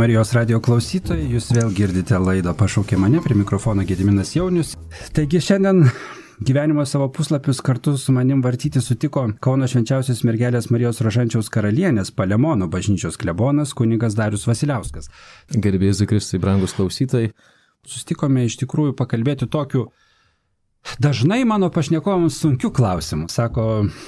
Marijos radio klausytojai, jūs vėl girdite laidą Pašaukė mane, prie mikrofono Gediminas Jaunius. Taigi šiandien gyvenimo savo puslapius kartu su manim vartyti sutiko Kauno Švenčiausios mergelės Marijos Rožančiaus karalienės Palemono bažnyčios klebonas kunigas Darius Vasiliauskas. Garbėsiu Jėzui Kristui, brangus klausytojai. Susitikome iš tikrųjų pakalbėti tokiu dažnai mano pašnekovams sunkių klausimų. Sako,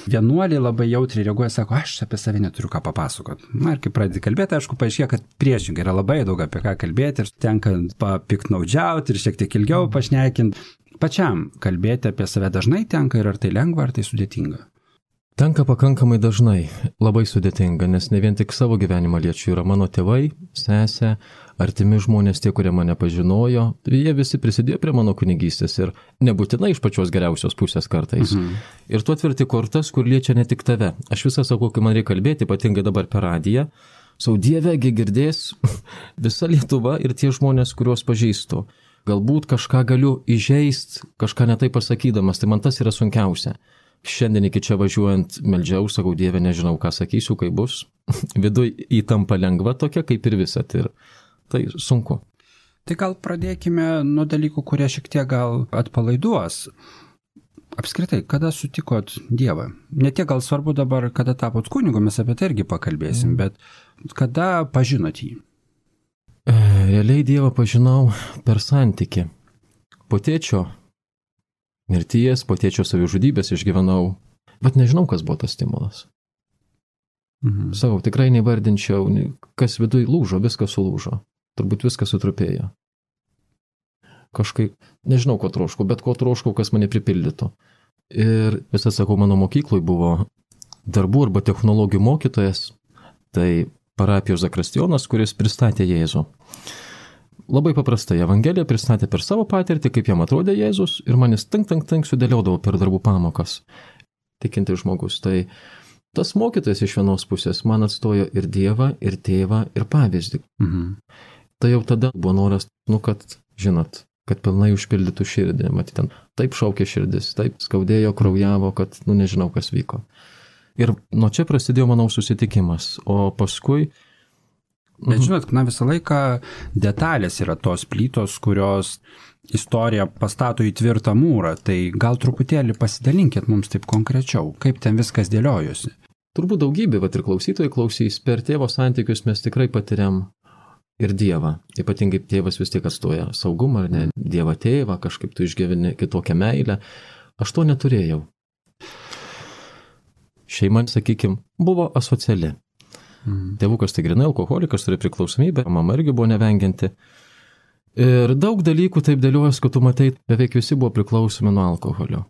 vienuoliai labai jautriai reaguoja, sako, aš apie save neturiu ką papasakot. Na ir kai pradedi kalbėti, aišku, paaiškėja, kad priešingai yra labai daug apie ką kalbėti ir tenka papiknaudžiauti ir šiek tiek ilgiau pašnekinti. Pačiam kalbėti apie save dažnai tenka ir ar tai lengva, ar tai sudėtinga? Tenka pakankamai dažnai, labai sudėtinga, nes ne vien tik savo gyvenimą liečiu, yra mano tėvai, sesė, artimi žmonės, tie, kurie mane pažinojo, jie visi prisidėjo prie mano kunigystės ir nebūtinai iš pačios geriausios pusės kartais. Ir tu atverti kortas, kur liečia ne tik tave. Aš visą sakau, kai man reikia kalbėti, ypatingai dabar per radiją, savo Dievegi girdės visa Lietuva ir tie žmonės, kuriuos pažįstu. Galbūt kažką galiu įžeist, kažką netai pasakydamas, tai man tas yra sunkiausia. Šiandien iki čia važiuojant meldžiau, sakau, Dieve, nežinau, ką sakysiu, kai bus. Viduj įtampa lengva tokia, kaip ir visat. Ir tai sunku. Tai gal pradėkime nuo dalykų, kurie šiek tiek gal atpalaiduos. Apskritai, kada sutikot Dievą? Ne tiek gal svarbu dabar, kada tapot kunigu, mes apie tai irgi pakalbėsim, bet kada pažinot jį? Realiai Dievą pažinau per santykį. Po tėčio mirties, po tėčio savižudybės išgyvenau, bet nežinau, kas buvo tas stimulas. Savo tikrai nevardinčiau, kas viduj lūžo, viskas sulūžo. Turbūt viskas sutrupėjo. Kažkaip, nežinau, ko troškau, bet ko troškau, kas mane pripildytų. Ir visą, sakau, mano mokykloj buvo darbų arba technologijų mokytojas, tai parapijos zakristijonas, kuris pristatė Jėzų. Labai paprastai Evangeliją pristatė per savo patirtį, kaip jam atrodė Jėzus, ir manis tank sudėliodavo per darbų pamokas. Tikintis žmogus. Tai tas mokytojas iš vienos pusės man atstojo ir Dievą, ir tėvą, ir pavyzdį. Tai jau tada buvo noras, kad, žinot, kad pilnai užpildytų širdį. Matyt, ten taip šaukė širdis, taip skaudėjo, kraujavo, kad, nežinau, kas vyko. Ir nuo čia prasidėjo, manau, susitikimas. O paskui Bet žinot, visą laiką detalės yra tos plytos, kurios istoriją pastato į tvirtą mūrą, tai gal truputėlį pasidalinkit mums taip konkrečiau, kaip ten viskas dėliojosi. Turbūt daugybė, ir klausytojai klausys, per tėvo santykius mes tikrai patiriam ir Dievą. Ypatingai tėvas vis tiek atstoja saugumą, ar ne, Dievą tėvą, kažkaip tu išgyveni kitokią meilę. Aš to neturėjau. Šeima, sakykim, buvo asociali. Tėvukas tai grinai alkoholikas, turi priklausomybę, mama irgi buvo nevengianti. Ir daug dalykų taip dėliojas, kad tu matai, beveik visi buvo priklausomi nuo alkoholio.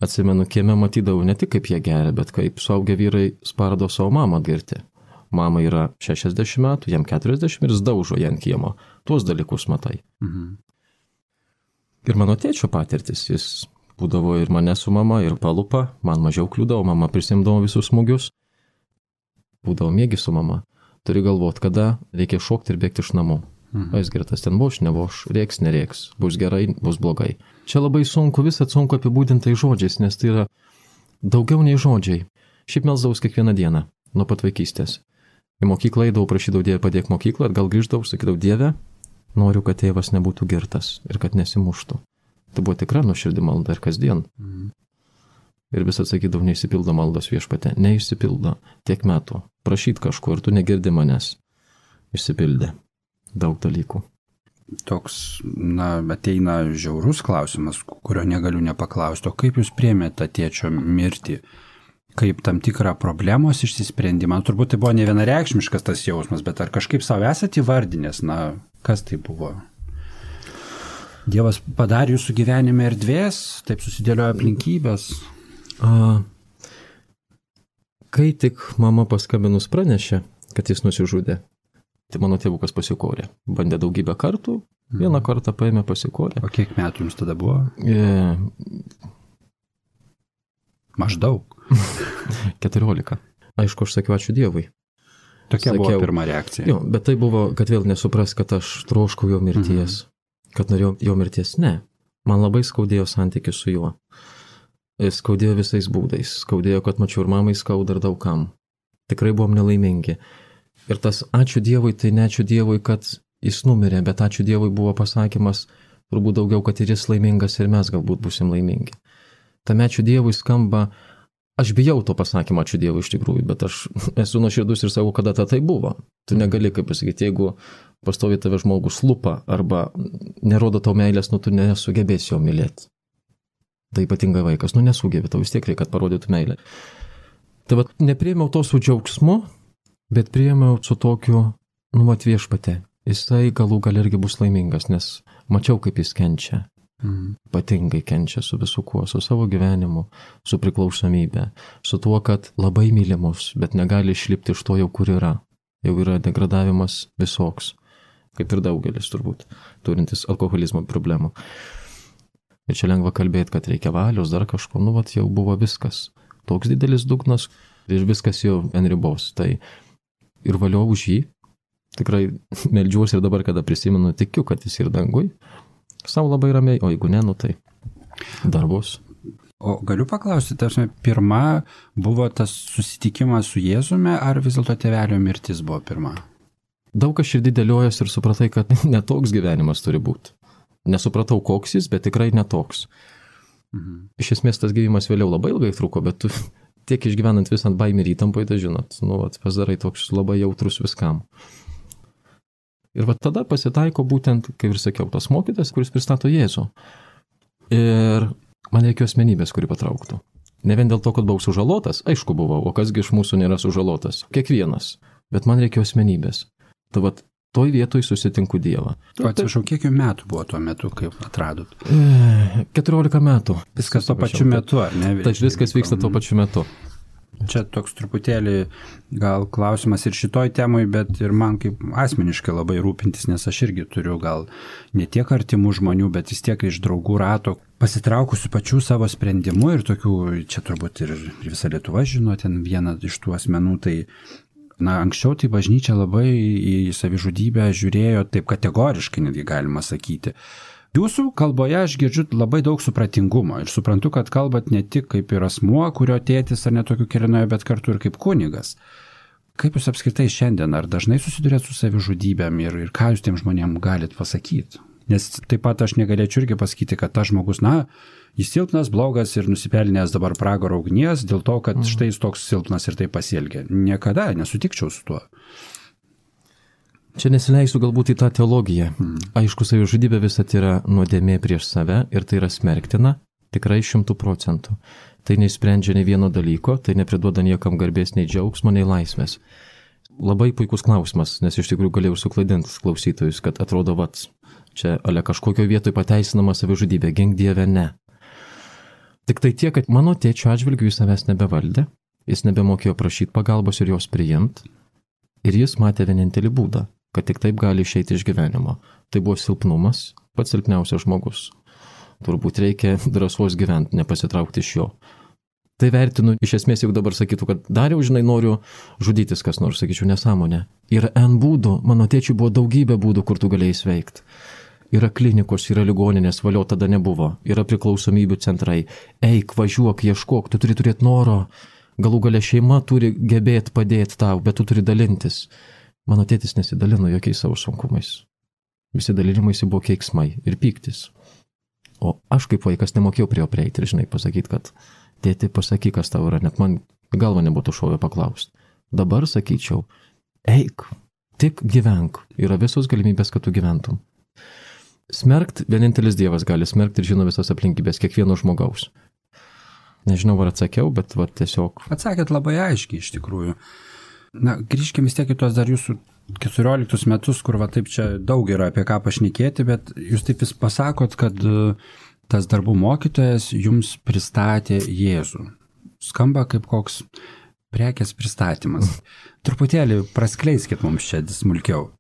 Atsimenu, kieme matydavau ne tik kaip jie geria, bet kaip suaugę vyrai spardo savo mamą atgirti. Mama yra 60 metų, jam 40 ir jis daužo ją ant kiemo. Tuos dalykus matai. Ir mano tėčio patirtis, jis būdavo ir mane su mama, ir palupa, man mažiau kliūdavo, mama prisimdavo visus smūgius. Būdavo mėgi su mama. Turi galvoti, kada reikia šokti ir bėgti iš namų. Jis girtas ten voš, nevoš, rėks, nerėks, bus gerai, bus blogai. Čia labai sunku, visą sunku apibūdintai žodžiais, nes tai yra daugiau nei žodžiai. Šiaip melsdavau kiekvieną dieną, nuo pat vaikystės. Į mokyklą eidavau, prašydavau Dievą padėk mokyklą, atgal grįždavau, sakydavau, Dieve, noriu, kad tėvas nebūtų girtas ir kad nesimuštų. Tai buvo tikra nuoširdi malda ir kasdien. Ir vis atsakydavau, neišsipildo maldos viešpatė, neišsipildo tiek metų. Prašyt kažko ir tu negirdi manęs. Išsipildė daug dalykų. Toks, ateina žiaurus klausimas, kurio negaliu nepaklausti. O kaip jūs priėmėte tėčio mirtį? Kaip tam tikrą problemos išsisprendimą? Turbūt tai buvo ne vienareikšmiškas tas jausmas, bet ar kažkaip savo esate įvardinęs? Kas tai buvo? Dievas padarė jūsų gyvenime erdvės, taip susidėliojo aplinkybės? Kai tik mama paskambinus pranešė, kad jis nusižudė, tai mano tėvukas pasikorė. Bandė daugybę kartų, vieną kartą paėmė pasikorė. O kiek metų jums tada buvo? Maždaug. 14. Aišku, aš sakiau ačiū Dievui. Tokia buvo pirma reakcija. Jo, bet tai buvo, kad vėl nesupras, kad aš troškau jo mirties, kad norėjau jo mirties. Ne. Man labai skaudėjo santykis su juo. Skaudėjo visais būdais. Skaudėjo, kad mačiau ir mamai skauda ir daugam. Tikrai buvom nelaimingi. Ir tas ačiū Dievui, tai ne ačiū Dievui, kad jis numirė, bet ačiū Dievui buvo pasakymas turbūt daugiau, kad ir jis laimingas ir mes galbūt būsim laimingi. Tame ačiū Dievui skamba, aš bijau to pasakymą ačiū Dievui iš tikrųjų, bet aš esu nuoširdus ir sakau, kada tai buvo. Tu negali, kaip pasakyti, jeigu pastovi tave žmogus lupa arba nerodo tau meilės, tu nesugebėsi jo mylėti. Tai ypatingai vaikas, nesugebė, tau vis tiek reikia, kad parodytų meilę. Tai vat, nepriėmiau to su džiaugsmu, bet priėmiau su tokiu, viešpatė. Jisai galų gal irgi bus laimingas, nes mačiau, kaip jis kenčia. Ypatingai kenčia su visu kuo, su savo gyvenimu, su priklausomybė, su tuo, kad labai mylimus, bet negali išlipti iš to jau, kur yra. Jau yra degradavimas visoks, kaip ir daugelis turbūt, turintis alkoholizmo problemų. Ir čia lengva kalbėti, kad reikia valios, dar kažko, jau buvo viskas. Toks didelis dugnas ir viskas jau ant ribos. Tai ir valio už jį. Tikrai meldžiuosi ir dabar, kada prisimenu, tikiu, kad jis ir dangui. Sau labai ramiai, o jeigu ne, tai dar bus. O galiu paklausti, tarsi, pirma buvo tas susitikimas su Jėzumi, ar vis dėlto tėvelio mirtis buvo pirma? Daug kas širdį dėliojas ir supratai, kad netoks gyvenimas turi būti. Nesupratau, koks jis, bet tikrai netoks. Iš esmės tas gyvimas vėliau labai ilgai truko, bet tu tiek išgyvenant visant baimį ir įtampoje, tai žinot, pasidarai toks labai jautrus viskam. Ir tada pasitaiko būtent, kaip ir sakiau, tas mokytas, kuris pristato Jėzų. Ir man reikėjo asmenybės, kuri patrauktų. Ne vien dėl to, kad buvau sužalotas, aišku buvau, o kasgi iš mūsų nėra sužalotas. Kiekvienas. Bet man reikėjo asmenybės. Tai toj vietoj susitinku Dievą. O atsiprašau, kiek metų buvo tuo metu, kaip atradot? 14 metų. Viskas tuo pačiu metu, ar ne? Taip, viskas vyksta tuo pačiu metu. Čia toks truputėlį gal klausimas ir šitoj temai, bet ir man kaip asmeniškai labai rūpintis, nes aš irgi turiu gal ne tiek artimų žmonių, bet vis tiek iš draugų rato pasitraukusių pačių savo sprendimu ir tokių, čia turbūt ir visa Lietuva žino, ten vieną iš tų asmenų, tai anksčiau tai bažnyčia labai į savižudybę žiūrėjo taip kategoriškai, netgi galima sakyti. Jūsų kalboje aš girdžiu labai daug supratingumo ir suprantu, kad kalbat ne tik kaip ir asmuo, kurio tėtis ar netokiu kelinoje, bet kartu ir kaip kunigas. Kaip jūs apskritai šiandien, ar dažnai susidurėt su savižudybėm ir ką jūs tiem žmonėm galit pasakyti? Nes taip pat aš negalėčiau irgi pasakyti, kad tas žmogus, jis silpnas, blogas ir nusipelnęs dabar pragaro ugnies dėl to, kad štai jis toks silpnas ir taip pasielgia. Niekada nesutikčiau su tuo. Čia nesileisiu galbūt į tą teologiją. Aišku, savižudybė visat yra nuodėmė prieš save ir tai yra smerktina, tikrai 100%. Tai neįsprendžia nei vieno dalyko, tai nepriduoda niekam garbės, nei džiaugsmo, nei laisvės. Labai puikus klausimas, nes iš tikrųjų galėjau suklaidinti klausytojus, kad atrodo, čia kažkokio vietoj pateisinama savižudybė, gink Dieve, ne. Tik tai tiek, kad mano tėčio atžvilgiu jis savęs nebevaldė, jis nebemokėjo prašyti pagalbos ir jos priimti, ir jis matė vienintelį būdą, kad tik taip gali išeiti iš gyvenimo. Tai buvo silpnumas, pats silpniausias žmogus. Turbūt reikia drąsos gyventi, nepasitraukti iš jo. Tai vertinu, iš esmės, jeigu dabar sakytų, kad Dariau, noriu žudytis kas nors, sakyčiau, nesąmonė. Yra N būdų, mano tėčiui buvo daugybė būdų, kur tu galėjai sveikti. Yra klinikos, yra ligoninės, valio tada nebuvo, yra priklausomybių centrai. Eik, važiuok, ieškok, tu turi turėti noro. Galų gale šeima turi gebėti padėti tau, bet tu turi dalintis. Mano tėtis nesidalino jokiais savo sunkumais. Visi dalinimaisi buvo keiksmai ir pyktis. O aš kaip vaikas nemokėjau prie jo prieiti ir pasakyti, kad tėti, pasakyk, kas tau yra, net man galva nebūtų šovę paklausti. Dabar sakyčiau, eik, tik gyvenk, yra visos galimybės, kad tu gyventum. Smerkt, vienintelis Dievas gali smerkti ir žino visas aplinkybės kiekvieno žmogaus. Nežinau, ar atsakiau, bet tiesiog. Atsakėt labai aiškiai iš tikrųjų. Grįžkime vis tiek į tuos dar jūsų 14 metus, kur taip čia daug yra apie ką pašnekėti, bet jūs taip vis pasakot, kad tas darbų mokytojas jums pristatė Jėzų. Skamba kaip koks prekės pristatymas. Truputėlį praskleiskit mums čia smulkiau.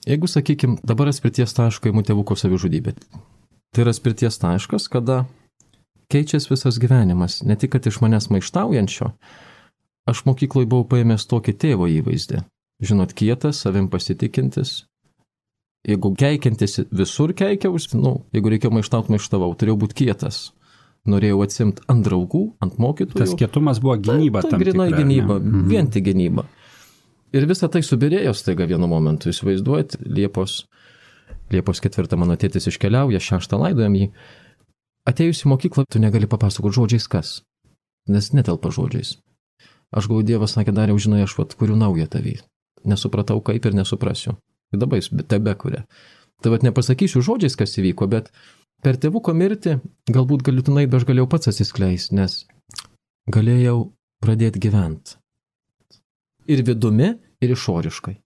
Jeigu, sakykim, dabar atspirties taško įmų tėvuko savižudybė. Tai yra atspirties taškas, kada keičiasi visas gyvenimas, ne tik, kad iš manęs maištaujančio. Aš mokykloje buvau paėmęs tokį tėvo įvaizdį. Žinot, kietas, savim pasitikintis. Jeigu keikiantis visur keikiaus, jeigu reikėjo maištavau, turėjau būti kietas. Norėjau atsimti ant draugų, ant mokytojų. Tas kietumas buvo gynyba tam tikra. Tai grinai gynyba, vien tik gynyba. Ir visa tai subirėjo staiga vienu momentu. Įsivaizduojat, Liepos 4 mano tėtis iškeliauja, 6 laidojam jį. Atėjus į mokyklą, tu negali papasakoti žodžiais kas, nes netelpa žodžiais. Aš galvoju, Dievas sakė, Dariau, žinai, aš kuriu naują tavį. Nesupratau kaip ir nesuprasiu. Ir dabar jis tebe kuria. Tai nepasakysiu žodžiais, kas įvyko, bet per tėvuko mirtį galbūt galutinai aš galėjau pats atsiskleisti, nes galėjau pradėti gyventi. Ir vidumi, ir išoriškai.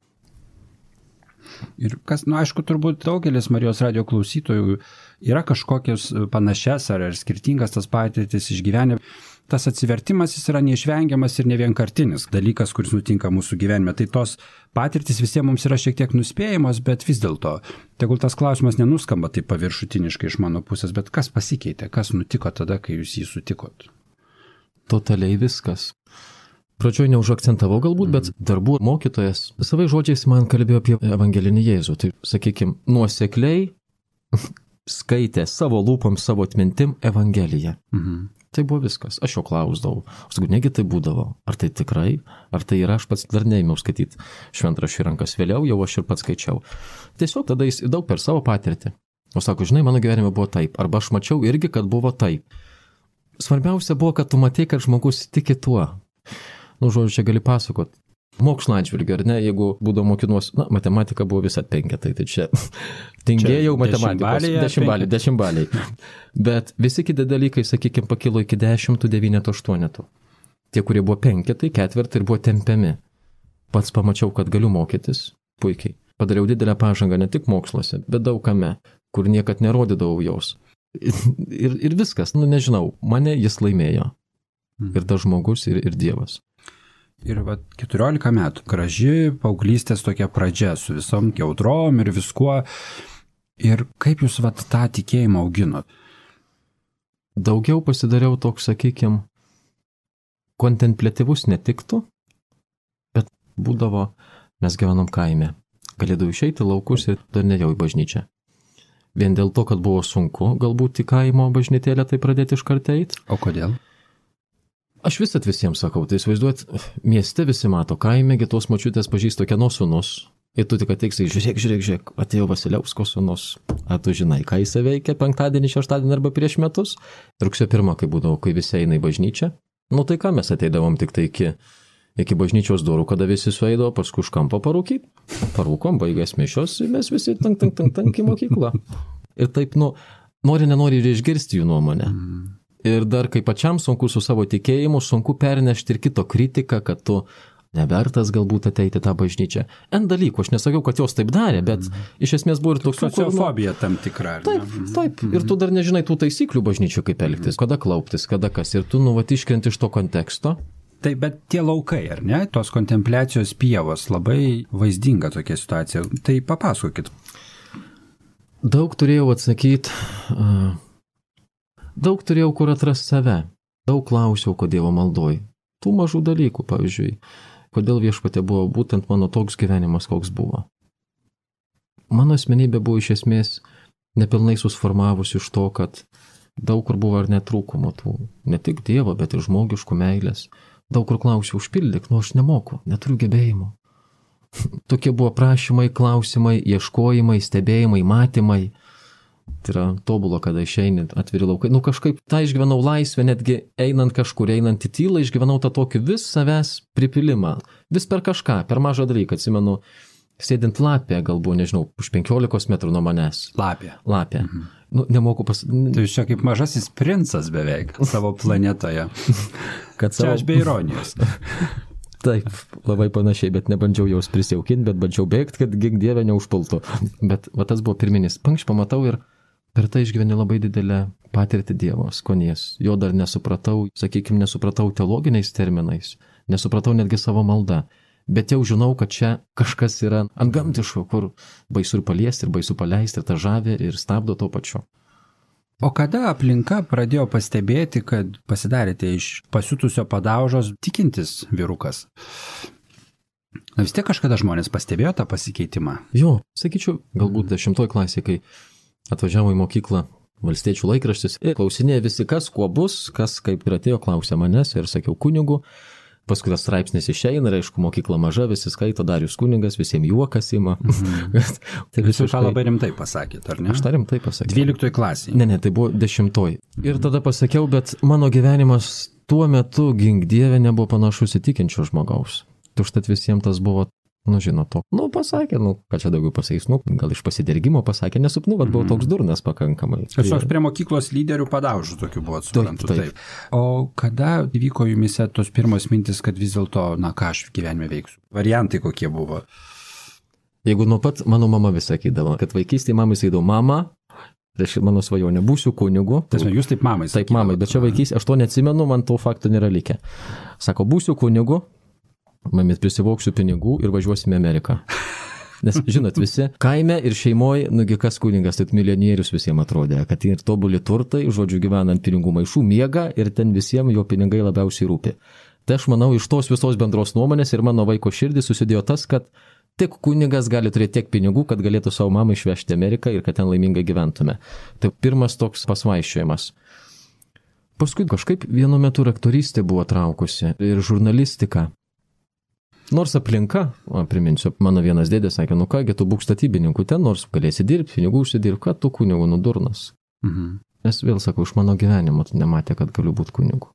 Ir kas, aišku, turbūt daugelis Marijos radijo klausytojų yra kažkokios panašias ar skirtingas tas patirtis išgyvenę. Tas atsivertimas jis yra neišvengiamas ir nevienkartinis dalykas, kuris nutinka mūsų gyvenime. Tai tos patirtis visiems mums yra šiek tiek nuspėjamos, bet vis dėlto, tegul tas klausimas nenuskamba taip paviršutiniškai iš mano pusės, bet kas pasikeitė, kas nutiko tada, kai jūs jį sutikot? Totaliai viskas. Pradžioj neužakcentavau galbūt, bet darbų mokytojas savai žodžiais man kalbėjo apie evangelinį Jėzų. Tai, sakykime, nuosekliai skaitė savo lūpom, savo atmintim Evangeliją. Tai buvo viskas. Aš jo klausdavau. Aš sakau, negi tai būdavo. Ar tai tikrai? Ar tai yra? Aš pats dar neėmiau skaityti šventraštį rankas. Vėliau jau aš ir pats skaičiau. Tiesiog tada jis daug per savo patirtį. O sako, žinai, mano gyvenime buvo taip. Arba aš mačiau irgi, kad buvo taip. Svarbiausia buvo, kad tu matei, kad žmogus tiki tuo. Žodžiu, čia gali pasakot. Mokslo atžvilgiu, ar ne, jeigu būdavo mokinuos, matematika buvo visat 5, tai čia tingėjau matematikos, 10 baliai. Bet visi kiti dalykai, sakykime, pakilo iki 10, 9, 8. Tie, kurie buvo 5, 4 ir buvo tempiami. Pats pamačiau, kad galiu mokytis puikiai. Padariau didelę pažangą ne tik moksluose, bet daug kame, kur niekad nerodydavau jos. Ir viskas, nežinau, mane jis laimėjo. Ir tas žmogus, ir Dievas. Ir 14 metų, graži paauglystės tokia pradžia su visom jautrom ir viskuo. Ir kaip jūs tą tikėjimą auginot? Daugiau pasidariau toks, sakykime, kontempliatyvus netiktų, bet būdavo, mes gyvenom kaime. Galėdavau išeiti laukus ir dar nejau į bažnyčią. Vien dėl to, kad buvo sunku galbūt į kaimo bažnytėlę tai pradėti iškart eiti. O kodėl? Aš visiems sakau, tai įsivaizduot, mieste visi mato, kaimegi tos močiutės pažįsto kieno sūnus. Ir tu tik ateiksi, žiūrėk, atėjo Vasiliausko sūnus. Ar tu žinai, ką jis veikia penktadienį, šeštadienį arba prieš metus? Rugsėjo 1, kai būdavo, kai visi eina į bažnyčią. Tai ką mes ateidavom tik tai iki bažnyčios durų, kada visi sueidavo, paskui už kampo parūkyti. Parūkom, baigęs mišios, mes visi tank į mokyklą. Ir taip, nenori ir išgirsti jų nuomonę. Ir dar kaip pačiam sunku su savo tikėjimu, sunku pernešti ir kito kritiką, kad tu nevertas galbūt ateiti tą bažnyčią. N dalykų, aš nesakiau, kad jos taip darė, bet iš esmės buvo ir toks... Sociofobija tam tikra. Taip. Ir tu dar nežinai tų taisyklių bažnyčių, kaip elgtis, kada klauptis, kada kas. Ir tu iškrenti iš to konteksto. Taip, bet tie laukai, ar ne? Tos kontempliacijos pievos, labai vaizdinga tokia situacija. Tai papasakokit. Daug turėjau atsakyti... Daug turėjau kur atrasti save. Daug klausiau, kodėl maldoj. Tų mažų dalykų, pavyzdžiui, kodėl viešpatė buvo būtent mano toks gyvenimas, koks buvo. Mano asmenybė buvo iš esmės nepilnai susformavusi iš to, kad daug kur buvo ar netrūkumo tų, ne tik Dievo, bet ir žmogiškų meilės. Daug kur klausiau, užpildyk, aš nemoku, neturiu gebėjimų. Tokie buvo prašymai, klausimai, ieškojimai, stebėjimai, matymai. Tai yra tobulo, kada išeini atviri laukai. Kažkaip tą išgyvenau laisvę, netgi einant kažkur, einant į tylą, išgyvenau tą tokį vis savęs pripilimą. Vis per kažką, per mažą dalyką. Atsimenu, sėdint lapė, galbūt, nežinau, už 15 metrų nuo manęs. Lapė. Nemoku Tai jūs čia kaip mažasis princas beveik savo planetoje. Čia aš be ironijos. Taip, labai panašiai, bet nebandžiau jos prisijaukinti, bet bandžiau bėgti, kad gink Dieve neužpultų. Bet tas buvo pirminis. Pankš pamatau ir per tai išgyveni labai didelę patirtį Dievo skonies. Jo dar nesupratau, sakykime, nesupratau teologiniais terminais, nesupratau netgi savo maldą. Bet jau žinau, kad čia kažkas yra antgamtiško, kur baisu ir paliesti, ir baisu paleisti, ir ta žavė, ir stabdo to pačiu. O kada aplinka pradėjo pastebėti, kad pasidarėte iš pasiutusio padaužos tikintis vyrukas? Vis tiek kažkada žmonės pastebėjo tą pasikeitimą? Jo, sakyčiau, galbūt 10 klasėje, kai atvažiavo į mokyklą Valstiečių laikraštis ir klausinėjo visi, kas kuo bus, kas kaip ir atėjo, klausė manęs ir sakiau kunigu. Paskui tas straipsnis išeina, ir aišku, mokykla maža, visi skaito, Darius kunigas, visiems juokas ima. Tai visi tą labai rimtai pasakėt, ar ne? Aš tą rimtai pasakiau. 12 klasėje. Ne, tai buvo 10. Ir tada pasakiau, bet mano gyvenimas tuo metu, gink Dieve, nebuvo panašus į tikinčio žmogaus. Užtat visiems tas buvo, žinot, to. Pasakė, ką čia daugiau pasakys, gal iš pasidergimo pasakė, nesupnu, bet buvau toks durnas pakankamai. Tiesiog prie mokyklos lyderių padaužų tokių buvo, suprantu. Taip. O kada vyko jumise tos pirmos mintis, kad vis dėlto, ką aš gyvenime veiksiu? Variantai kokie buvo? Jeigu nuo pat mano mama vis sakydavo, kad vaikystėje mamai sakydavo, mama, tai mano svajonė, būsiu kunigu. Jūs taip mamai sakydavo. Taip mamai, bet čia vaikystėje, aš to neatsimenu, man to fakto nėra likę. Sako, būsiu kunigu, mamit prisivauksiu pinigų ir važiuosime į Ameriką. Nes, žinot, visi kaime ir šeimoje, kas kunigas, tai milijonierius visiems atrodė, kad ir tobuli turtai, žodžiu, gyvenant pinigų maišų, miega ir ten visiems jo pinigai labiausiai rūpi. Tai aš manau, iš tos visos bendros nuomonės ir mano vaiko širdį susidėjo tas, kad tik kunigas gali turėti tiek pinigų, kad galėtų savo mamą išvežti Ameriką ir kad ten laimingai gyventume. Tai pirmas toks pasvaiščiojimas. Paskui kažkaip vienu metu aktorystė buvo traukusi ir žurnalistika. Nors aplinka, priminsiu, mano vienas dėdė sakė, kągi tu būk statybininku ten, nors galėsi dirbti, pinigų užsidirbti, kad tu kunigu durnas. Nes vėl sakau, iš mano gyvenimo nematė, kad galiu būti kunigu.